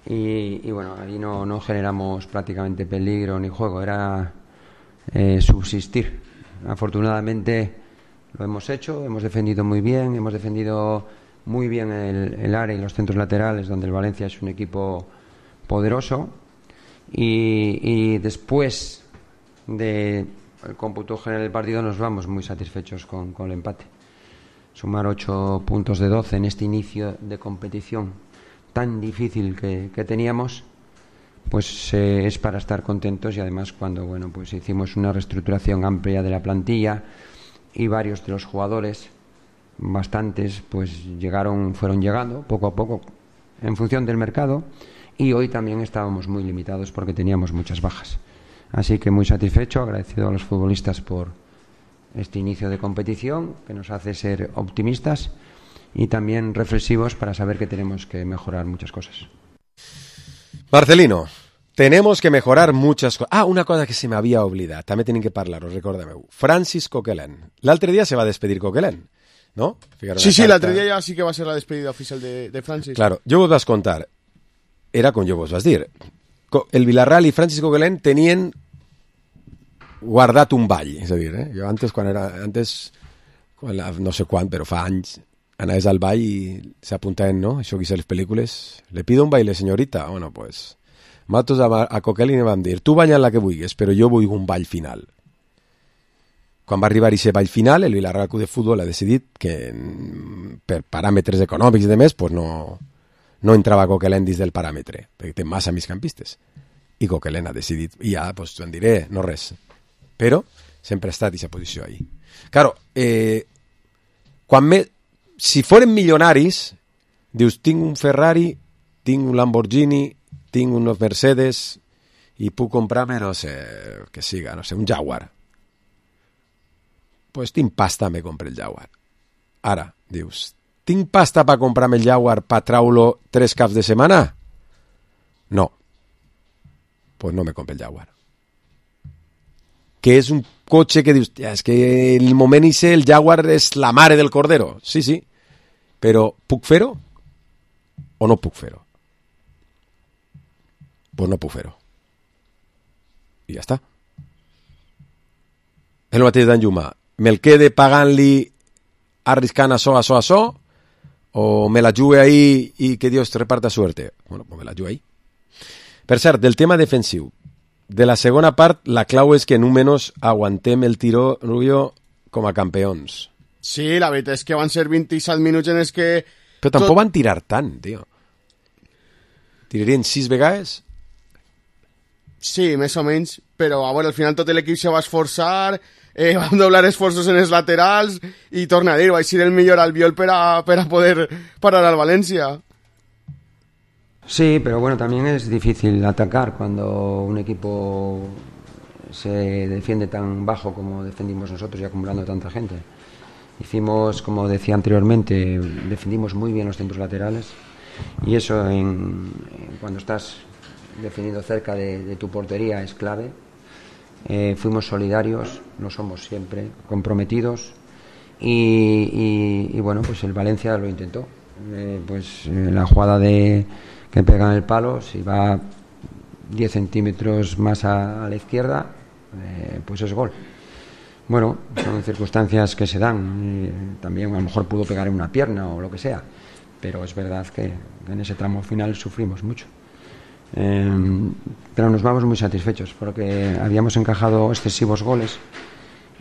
y bueno, ahí no generamos prácticamente peligro ni juego, era subsistir. Afortunadamente lo hemos hecho, hemos defendido muy bien el área y los centros laterales, donde el Valencia es un equipo poderoso, y después del cómputo general del partido nos vamos muy satisfechos con el empate. Sumar 8 puntos de 12 en este inicio de competición tan difícil que teníamos, pues es para estar contentos, y además cuando pues hicimos una reestructuración amplia de la plantilla y varios de los jugadores, bastantes, pues fueron llegando poco a poco en función del mercado, y hoy también estábamos muy limitados porque teníamos muchas bajas. Así que muy satisfecho, agradecido a los futbolistas por este inicio de competición que nos hace ser optimistas y también reflexivos para saber que tenemos que mejorar muchas cosas. Marcelino, tenemos que mejorar muchas cosas. Ah, una cosa que se me había olvidado, també tenim que parlar-ho, recordeu. Francis Coquelin. L'altre dia se va despedir Coquelin, ¿no? Sí, l'altre dia ja sí que va ser la despedida oficial de Francis. Claro, jo vos vas contar, era com jo vos vas dir, el Villarreal i Francis Coquelin tenien guardat un ball, és a dir, jo no sé quan, però fa anys, anaves al ball i s'apuntaven, ¿no? Això que hice les pel·lícules, le pido un baile, señorita. Bueno, pues, nosaltres a Coquelin vam dir, tu balla la que vulguis, però jo vull un ball final. Quan va arribar aquest ball final, el Villarreal Club de Futbol ha decidit que per paràmetres econòmics i demés, pues no entrava Coquelin dins del paràmetre, perquè té massa migcampistes. I Coquelin ha decidit, i ja, pues, en diré, no res. Però sempre ha estat aquesta posició ahí. Claro, si foren milionaris, dius, tinc un Ferrari, tinc un Lamborghini, tinc unos Mercedes i puc comprar-me, no sé, que siga, no sé, un Jaguar. Pues tinc pasta, me compre el Jaguar. Ara, dius, tinc pasta per comprar-me el Jaguar per traure-lo 3 caps de setmana? No. Pues no me compre el Jaguar. Que és un cotxe que dius, és que el moment ese el Jaguar és la mare del cordero. Sí, sí. Però puc fer-ho o no puc fer-ho? Pues no puc fer-ho. I ja està. El mateix d'en Juma. Me'l quede pagant-li arriscant això, o me la jugue ahí i que Dios te reparta suerte? Bueno, pues me la jugue ahí. Per cert, del tema defensiu, de la segona part, la clau és que números aguantem el tiró, Rubio, com a campions. Sí, la veritat és que van ser 27 minuts en els que... Però tampoc van tirar tant, tio. Tirarien 6 vegades? Sí, més o menys, però a veure, al final tot l'equip se va esforçar, van doblar esforços en els laterals, i torna a dir, va ser el millor Albiol per a poder parar al València. Sí, pero bueno, también es difícil atacar cuando un equipo se defiende tan bajo como defendimos nosotros y acumulando tanta gente. Hicimos, como decía anteriormente, defendimos muy bien los centros laterales, y eso cuando estás defendiendo cerca de tu portería es clave. Fuimos solidarios, lo somos siempre, comprometidos, y bueno, pues el Valencia lo intentó. La jugada que pega en el palo, si va 10 centímetros más a la izquierda, pues es gol. Bueno, son circunstancias que se dan, también a lo mejor pudo pegar en una pierna o lo que sea, pero es verdad que en ese tramo final sufrimos mucho. Pero nos vamos muy satisfechos porque habíamos encajado excesivos goles,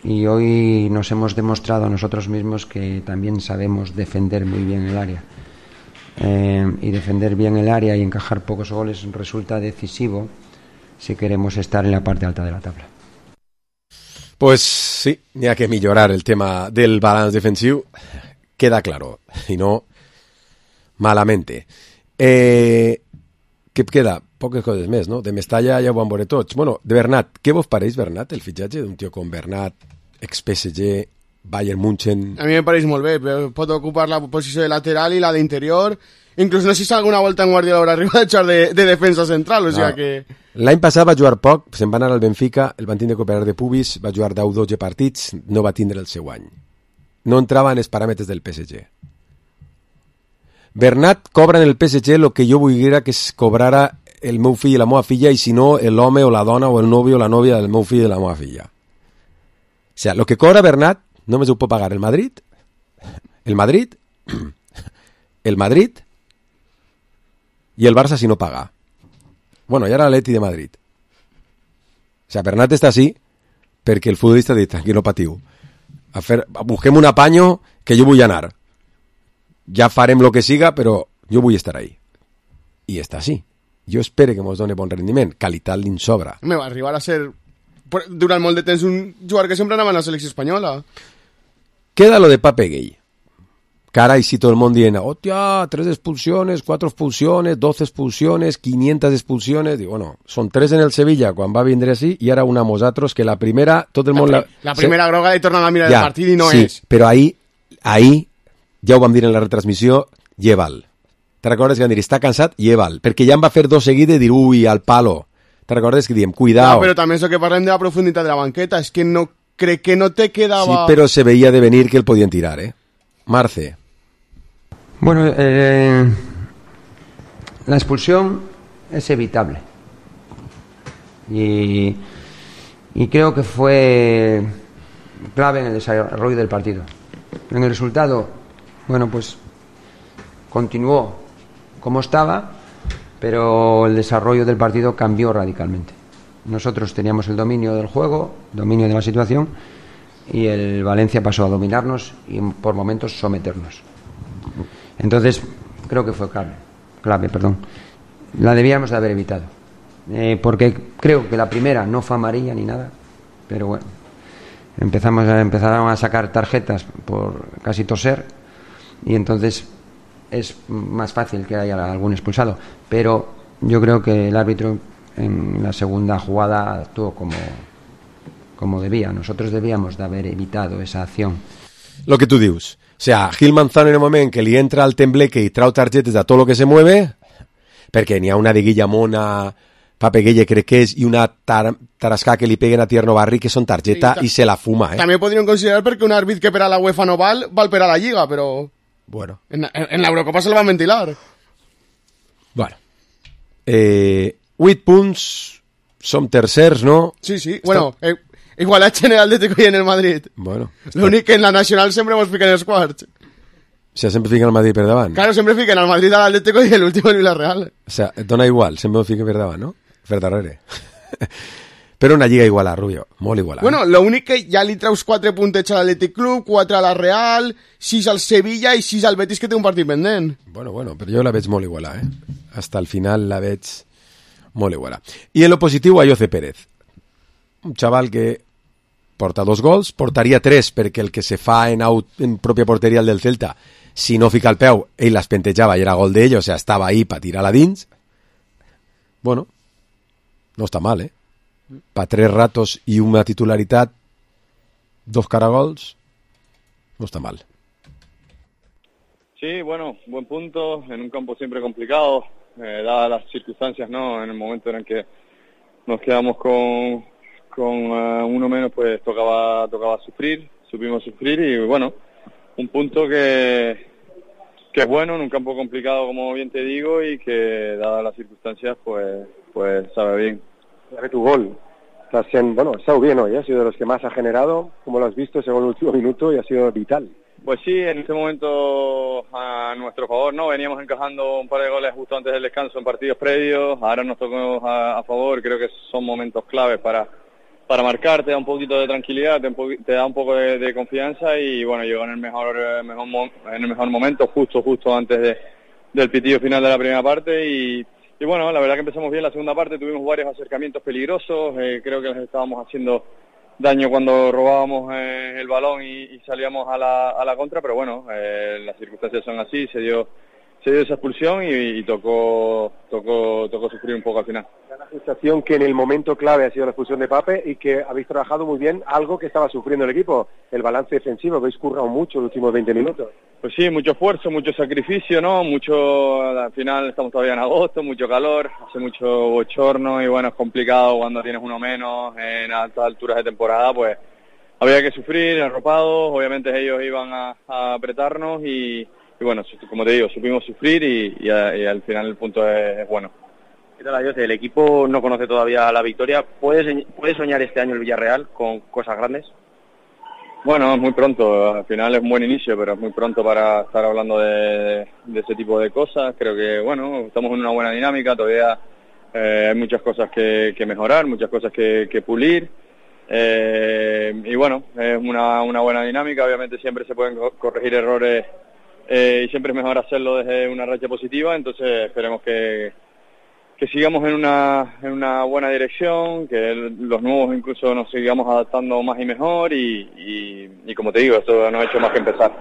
y hoy nos hemos demostrado a nosotros mismos que también sabemos defender muy bien el área. Y defender bien el área y encajar pocos goles resulta decisivo si queremos estar en la parte alta de la tabla. Pues sí, n'hi ha que millorar el tema del balanç defensiu, queda claro, i no malamente. Què queda? Poques coses més, no? De Mestalla ja ho vam veure tots. Bueno, de Bernat, què vos pareix, Bernat, el fitxatge d'un tio com Bernat, ex-PSG, Bayern München... A mi me pareix molt bé, però pot ocupar la posició de lateral i la d'interior. Inclús no sé si alguna volta en Guardiola haurà arribat a jugar de defensa central, o sigui que... L'any passat va jugar poc, se'n va anar al Benfica, el van tindre que operar de pubis, va jugar 10-12 partits, no va tindre el seu any. No entrava en els paràmetres del PSG. Bernat cobra en el PSG el que jo volia que es cobrara el meu fill i la meva filla, i si no, l'home o la dona o el novio o la nòvia del meu fill i la meva filla. O sigui, el que cobra Bernat només ho pot pagar el Madrid, el Madrid i el Barça si no paga. Bueno, i ara l'Atleti de Madrid. O sigui, Bernat està així perquè el futbolista ha dit, tranquil, no patiu. Busquem un apanyo que jo vull anar. Ja farem lo que siga, però jo vull estar ahí. I està així. Jo espero que mos doni bon rendiment. Qualitat li'n sobra. Me va arribar a ser, durant molt de temps, un jugador que sempre anava a la selecció espanyola. Queda lo de Pape Gay. Cara, y si todo el mundo dice, hostia, 3 expulsiones, 4 expulsiones, 12 expulsiones, 500 expulsiones. Digo, bueno, son 3 en el Sevilla, quan va vindre así, y ahora una a nosaltres, que la primera, tot el món... La primera groga li torna a mirar el partit i no sí, és. Però ahí, ja ho vam dir en la retransmissió, lleval. Te recordes que van dir, està cansat, lleval. Perquè ja em va fer 2 seguides i dir, ui, al palo. Te recordes que diem, cuidao. No, però també és que parlem de la profunditat de la banqueta, és que no crec que no te quedava... Sí, però se veia de venir que el podien tirar, Marce. Bueno, la expulsión es evitable y creo que fue clave en el desarrollo del partido. En el resultado, bueno, pues continuó como estaba, pero el desarrollo del partido cambió radicalmente. Nosotros teníamos el dominio del juego, dominio de la situación, y el Valencia pasó a dominarnos y por momentos someternos. Entonces, creo que fue clave. La debíamos de haber evitado. Porque creo que la primera no fue amarilla ni nada, pero bueno, empezaron a sacar tarjetas por casi toser, y entonces es más fácil que haya algún expulsado. Pero yo creo que el árbitro en la segunda jugada actuó como debía. Nosotros debíamos de haber evitado esa acción. Lo que tú dius. O sea, Gil Manzano en el moment que li entra al tembleque i trau targetes de tot lo que se mueve, perquè n'hi ha una de Guillamona, Pape Gueye crec que és, i una Tarascà que li peguen a Tierno Barri, que són targeta i se la fuma, També podríem considerar perquè un àrbit que per a la UEFA no val per a la Lliga, però... Bueno. En l'Eurocopa se la van ventilar. Bueno. 8 punts, som tercers, no? Sí. Bueno, igualatge en el Atlético i en el Madrid. Bueno. L'únic que en la Nacional sempre mos fiquen els quarts. O sea, sempre fiquen el Madrid per davant. Claro, sempre fiquen el Madrid a l'Atlético i l'últim el Villarreal. O sea, et dona igual, sempre ho fiquen per davant, no? Per darrere. Però una lliga igualada, Rubio, molt igualada. Bueno, l'únic que ja li treus 4 puntets a l'Atlètic Club, 4 a la Real, 6 al Sevilla i 6 al Betis, que té un partit pendent. Bueno, però jo la veig molt igualada, Hasta el final la veig molt igualada. I en lo positiu, Ayoce Pérez. Un xaval que porta 2 gols, portaria 3 perquè el que se fa en pròpia porteria el del Celta, si no fica el peu, ell les pentejava i era gol d'ell, o sea, estava ahí per tirar-la dins. Bueno, no està mal, Pa 3 ratos i una titularitat, 2 caragols, no está mal. Sí, bueno, buen punto, en un campo siempre complicado, dadas las circunstancias, ¿no? En el momento en el que nos quedamos con uno menos, pues tocaba sufrir, supimos sufrir y bueno, un punto que es bueno en un campo complicado, como bien te digo, y que dadas las circunstancias, pues sabe bien. De tu gol, ha estado bien hoy, ha sido de los que más ha generado, como lo has visto, según el último minuto, y ha sido vital. Pues sí, en este momento a nuestro favor, ¿no? Veníamos encajando un par de goles justo antes del descanso en partidos previos, ahora nos tocó a favor, creo que son momentos claves para marcar, te da un poquito de tranquilidad, te da un poco de confianza y bueno, llegó en el mejor momento, justo antes del pitido final de la primera parte y bueno, la verdad que empezamos bien la segunda parte, tuvimos varios acercamientos peligrosos, creo que les estábamos haciendo daño cuando robábamos el balón y salíamos a la contra, pero bueno, las circunstancias son así, se dio dio esa expulsión y tocó sufrir un poco al final. Da la sensación que en el momento clave ha sido la expulsión de Pape y que habéis trabajado muy bien algo que estaba sufriendo el equipo, el balance defensivo. Habéis currado mucho los últimos 20 minutos. Pues sí, mucho esfuerzo, mucho sacrificio, ¿no? Al final estamos todavía en agosto, mucho calor, hace mucho bochorno y bueno, es complicado cuando tienes uno menos en altas alturas de temporada, pues había que sufrir, arropados, obviamente ellos iban a apretarnos y bueno, como te digo, supimos sufrir y al final el punto es bueno. ¿Qué tal, Ayoce? El equipo no conoce todavía la victoria. ¿Puede soñar este año el Villarreal con cosas grandes? Bueno, es muy pronto, al final es un buen inicio, pero es muy pronto para estar hablando de ese tipo de cosas. Creo que, bueno, estamos en una buena dinámica, todavía hay muchas cosas que mejorar, muchas cosas que pulir. Y bueno, es una buena dinámica, obviamente siempre se pueden corregir errores y siempre es mejor hacerlo desde una racha positiva, entonces esperemos que sigamos en una buena dirección, que los nuevos incluso nos sigamos adaptando más y mejor y como te digo, esto no ha hecho más que empezar.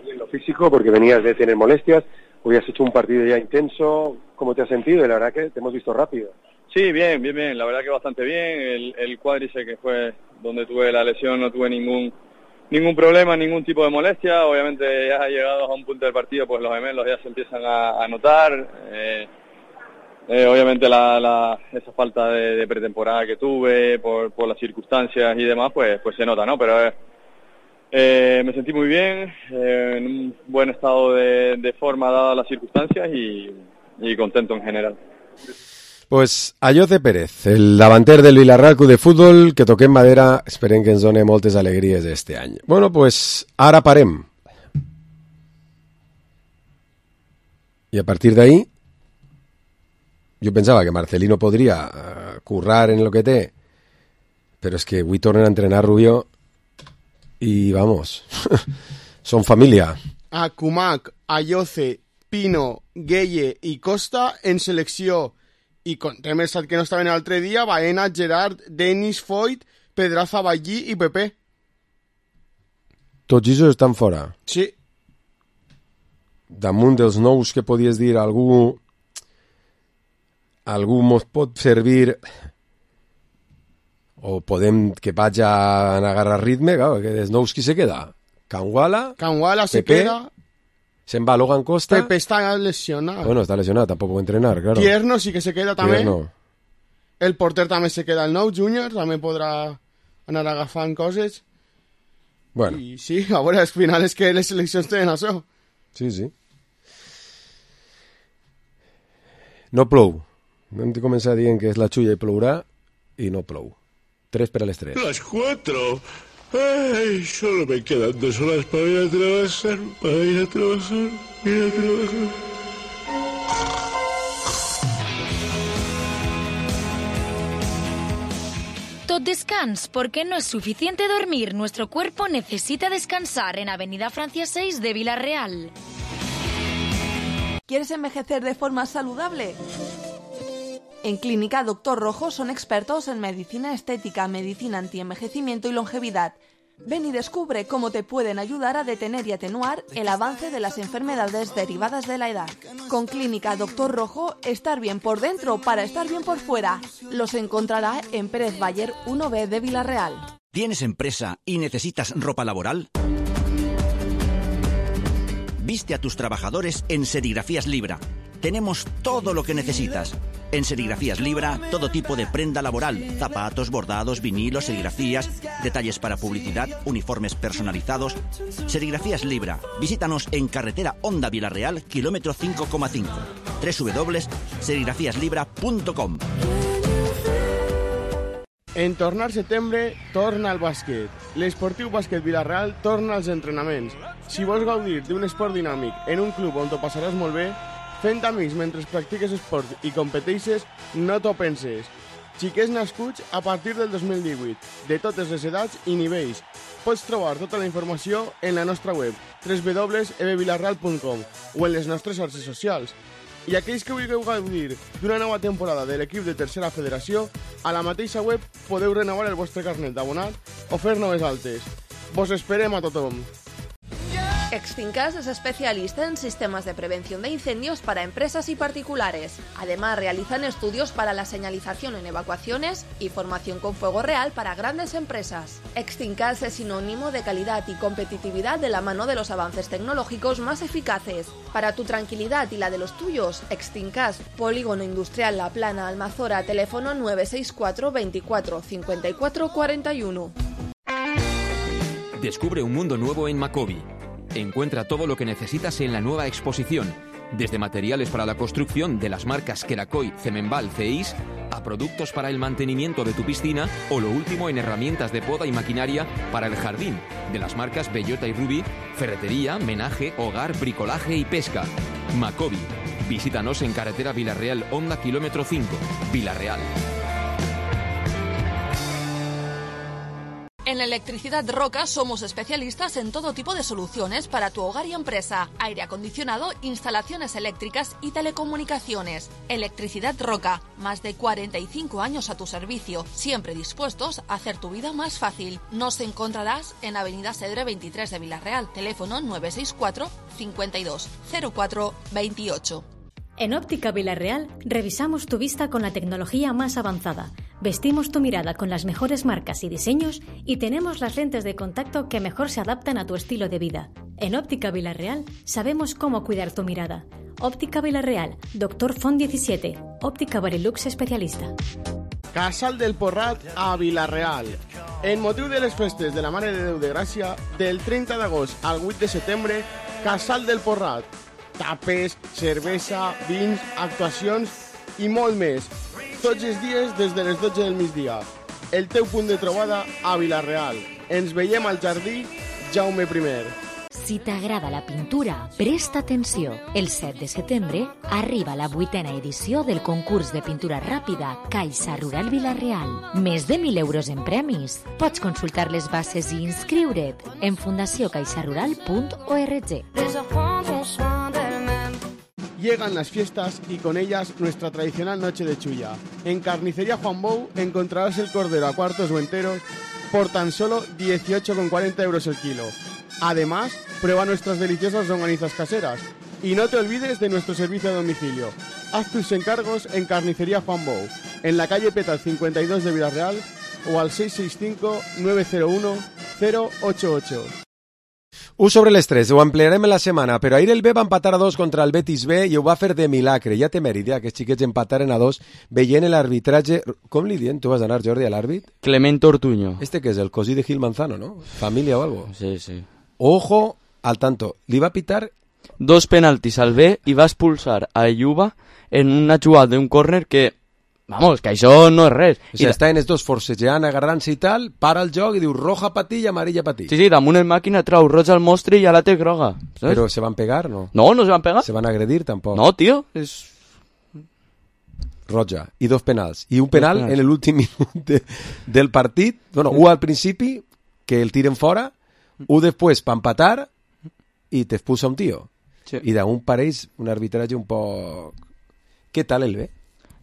Y en lo físico, porque venías de tener molestias, hoy has hecho un partido ya intenso, ¿cómo te has sentido? Y la verdad que te hemos visto rápido. Sí, bien, la verdad que bastante bien, el cuádriceps que fue donde tuve la lesión no tuve ningún problema, ningún tipo de molestia, obviamente ya llegados a un punto del partido pues los gemelos ya se empiezan a notar, obviamente esa falta de pretemporada que tuve por las circunstancias y demás pues se nota, ¿no? Pero me sentí muy bien, en un buen estado de forma dadas las circunstancias y contento en general. Pues Ayoce Pérez, el davanter del Villarreal Club de Futbol, que toquem madera, esperem que ens doni moltes alegries este any. Bueno, pues ara parem. I a partir d'ahí, jo pensava que Marcelino podria currar en lo que té, però és que avui tornen a entrenar Rubio i, vamos, són família. A Kumak, Ayoce, Pino, Gueye i Costa en selecció. I hem estat que no estaven l'altre dia Baena, Gerard, Denis, Foyt, Pedraza, Ballí i Pepe. Tots ells estan fora? Sí. Damunt dels nous que podies dir algú mos pot servir o podem que vaig a agarrar ritme, claro, que dels nous qui se queda? Canguala se queda. Se'n va Logan Costa. Pepe está lesionado. Bueno, está lesionado, tampoco puede entrenar, claro. Tierno sí que se queda també. Tierno. El porter també se queda el nou, Júnior, també podrà anar agafant coses. Bueno. I sí, a veure, al final és que les seleccions tenen això. Sí. No plou. Hem de començar dient que és la xulla i plourà, i no plou. 3 per a les 3. Las 4. Ay, solo me quedan 2 horas para ir a trabajar. Tot descans, porque no es suficiente dormir. Nuestro cuerpo necesita descansar en Avenida Francia 6 de Villarreal. ¿Quieres envejecer de forma saludable? En Clínica Doctor Rojo son expertos en medicina estética, medicina antienvejecimiento y longevidad. Ven y descubre cómo te pueden ayudar a detener y atenuar el avance de las enfermedades derivadas de la edad. Con Clínica Doctor Rojo, estar bien por dentro para estar bien por fuera. Los encontrará en Pérez Bayer 1B de Villarreal. ¿Tienes empresa y necesitas ropa laboral? Viste a tus trabajadores en Serigrafías Libra. Tenemos todo lo que necesitas. En Serigrafías Libra, todo tipo de prenda laboral, zapatos, bordados, vinilos, serigrafías, detalles para publicidad, uniformes personalizados. Serigrafías Libra. Visítanos en carretera Honda Villarreal, kilómetro 5,5. www.serigrafíaslibra.com. En tornar setembre, torna el bàsquet. L'esportiu bàsquet Villarreal torna als entrenaments. Si vols gaudir d'un esport dinàmic en un club on t'ho passaràs molt bé, fent amics mentre practiques esport i competeixes, no t'ho penses. Xiquets nascuts a partir del 2018, de totes les edats i nivells. Pots trobar tota la informació en la nostra web www.ebvillarreal.com o en les nostres xarxes socials. I aquells que vulgueu gaudir d'una nova temporada de l'equip de Tercera Federació, a la mateixa web podeu renovar el vostre carnet d'abonat o fer noves altes. Vos esperem a tothom. Extincas es especialista en sistemas de prevención de incendios para empresas y particulares. Además, realizan estudios para la señalización en evacuaciones y formación con fuego real para grandes empresas. Extincas es sinónimo de calidad y competitividad de la mano de los avances tecnológicos más eficaces. Para tu tranquilidad y la de los tuyos, Extincas, Polígono Industrial La Plana, Almazora, teléfono 964 24 54 41. Descubre un mundo nuevo en Macobi. Encuentra todo lo que necesitas en la nueva exposición, desde materiales para la construcción de las marcas Kerakoy, Cemenbal, Ceis, a productos para el mantenimiento de tu piscina o lo último en herramientas de poda y maquinaria para el jardín, de las marcas Bellota y Ruby, ferretería, menaje, hogar, bricolaje y pesca. Macobi. Visítanos en carretera Villarreal, Honda, kilómetro 5, Villarreal. En Electricidad Roca somos especialistas en todo tipo de soluciones para tu hogar y empresa, aire acondicionado, instalaciones eléctricas y telecomunicaciones. Electricidad Roca, más de 45 años a tu servicio, siempre dispuestos a hacer tu vida más fácil. Nos encontrarás en Avenida Cedre 23 de Villarreal, teléfono 964 52 04 28. En Óptica Villarreal revisamos tu vista con la tecnología más avanzada, vestimos tu mirada con las mejores marcas y diseños y tenemos las lentes de contacto que mejor se adaptan a tu estilo de vida. En Óptica Villarreal sabemos cómo cuidar tu mirada. Óptica Villarreal, Dr. Font 17, Óptica Barilux especialista. Casal del Porrat a Villarreal. En motiu de les festes de la Mare de Déu de Gràcia, del 30 d'agost al 8 de setembre, Casal del Porrat. Tapes, cervesa, vins, actuacions i molt més. Tots els dies des de les 12 del migdia. El teu punt de trobada a Villarreal. Ens veiem al jardí Jaume I. Si t'agrada la pintura, presta atenció. El 7 de setembre arriba la 8ª edició del concurs de pintura ràpida Caixa Rural Villarreal. Més de 1.000 euros en premis. Pots consultar les bases i inscriure't en fundacioncaixarural.org. Llegan las fiestas y con ellas nuestra tradicional noche de chulla. En Carnicería Juan Bou encontrarás el cordero a cuartos o enteros por tan solo 18,40 euros el kilo. Además, prueba nuestras deliciosas longanizas caseras. Y no te olvides de nuestro servicio a domicilio. Haz tus encargos en Carnicería Juan Bou, en la calle Petal 52 de Villarreal o al 665-901-088. Sobre l'estrès, ho ampliarem en la setmana, però ahir el B va empatar a 2 contra el Betis B i ho va fer de milagre. Ja té mèrit, que els xiquets empataren a 2 veient l'arbitratge... Com li dient? Tu vas anar, Jordi, a l'àrbit? Clement Ortuño. Este que és el cosí de Gil Manzano, ¿no? Familia o algo. Sí, sí. Ojo al tanto. Li va pitar 2 penaltis al B i va expulsar a Yuba en una jugada d'un córner que... Vamos, que això no és res. O sigui, estaven els dos forcejant, agarrant-se i tal, para el joc i diu roja pa ti i amarilla pa ti. Sí, damunt el màquina trau roja al mostre i ja la té groga. ¿Sabes? Però se van pegar, no? No, no se van pegar. Se van agredir, tampoc. No, tío, és... Roja, i 2 penals. I un penal en l'últim minut del partit. Bueno, un al principi, que el tiren fora, un després pa empatar i t'expulsa un tío. Sí. I d'un pareix un arbitratge un poc... Què tal el B?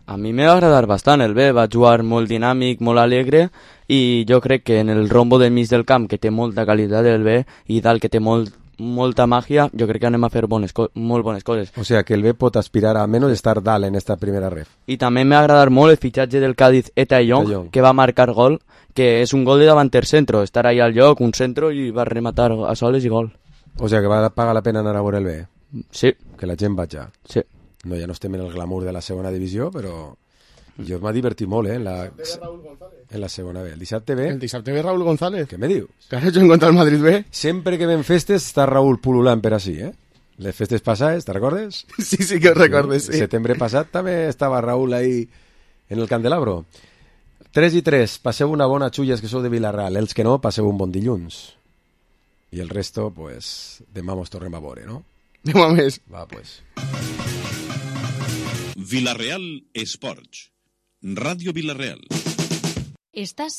A mi me va agradar bastant el B, va jugar molt dinàmic, molt alegre i jo crec que en el rombo del mig del camp, que té molta qualitat el B, i dalt que té molta màgia, jo crec que anem a fer molt bones coses. O sea que el B pot aspirar a menys estar dalt en esta primera ref. I també m'ha agradat molt el fitxatge del Cádiz Etayong, que va marcar gol, que és un gol de davanter centro, estar ahí al lloc, un centro i va rematar a soles i gol. O sea que va pagar la pena anar a veure el B. Sí. Que la gent vaig ja. Sí. No, ja no estem en el glamour de la segona divisió, però jo m'ha divertit molt, en la segona B. El dissabte B... El dissabte B Raúl González. Què me dius? Que has hecho en contra el Madrid B? Sempre que ven festes està Raúl pululant per així, Les festes passades, te recordes? Sí que ho recordes, sí. El setembre passat també estava Raúl ahí en el Candelabro. 3-3, passeu una bona xulla que sou de Vilarreal. Els que no, passeu un bon dilluns. I el resto, pues, demà mos tornem a veure, no? Demà més. Va, pues. Villarreal Esports. Radio Villarreal. Estás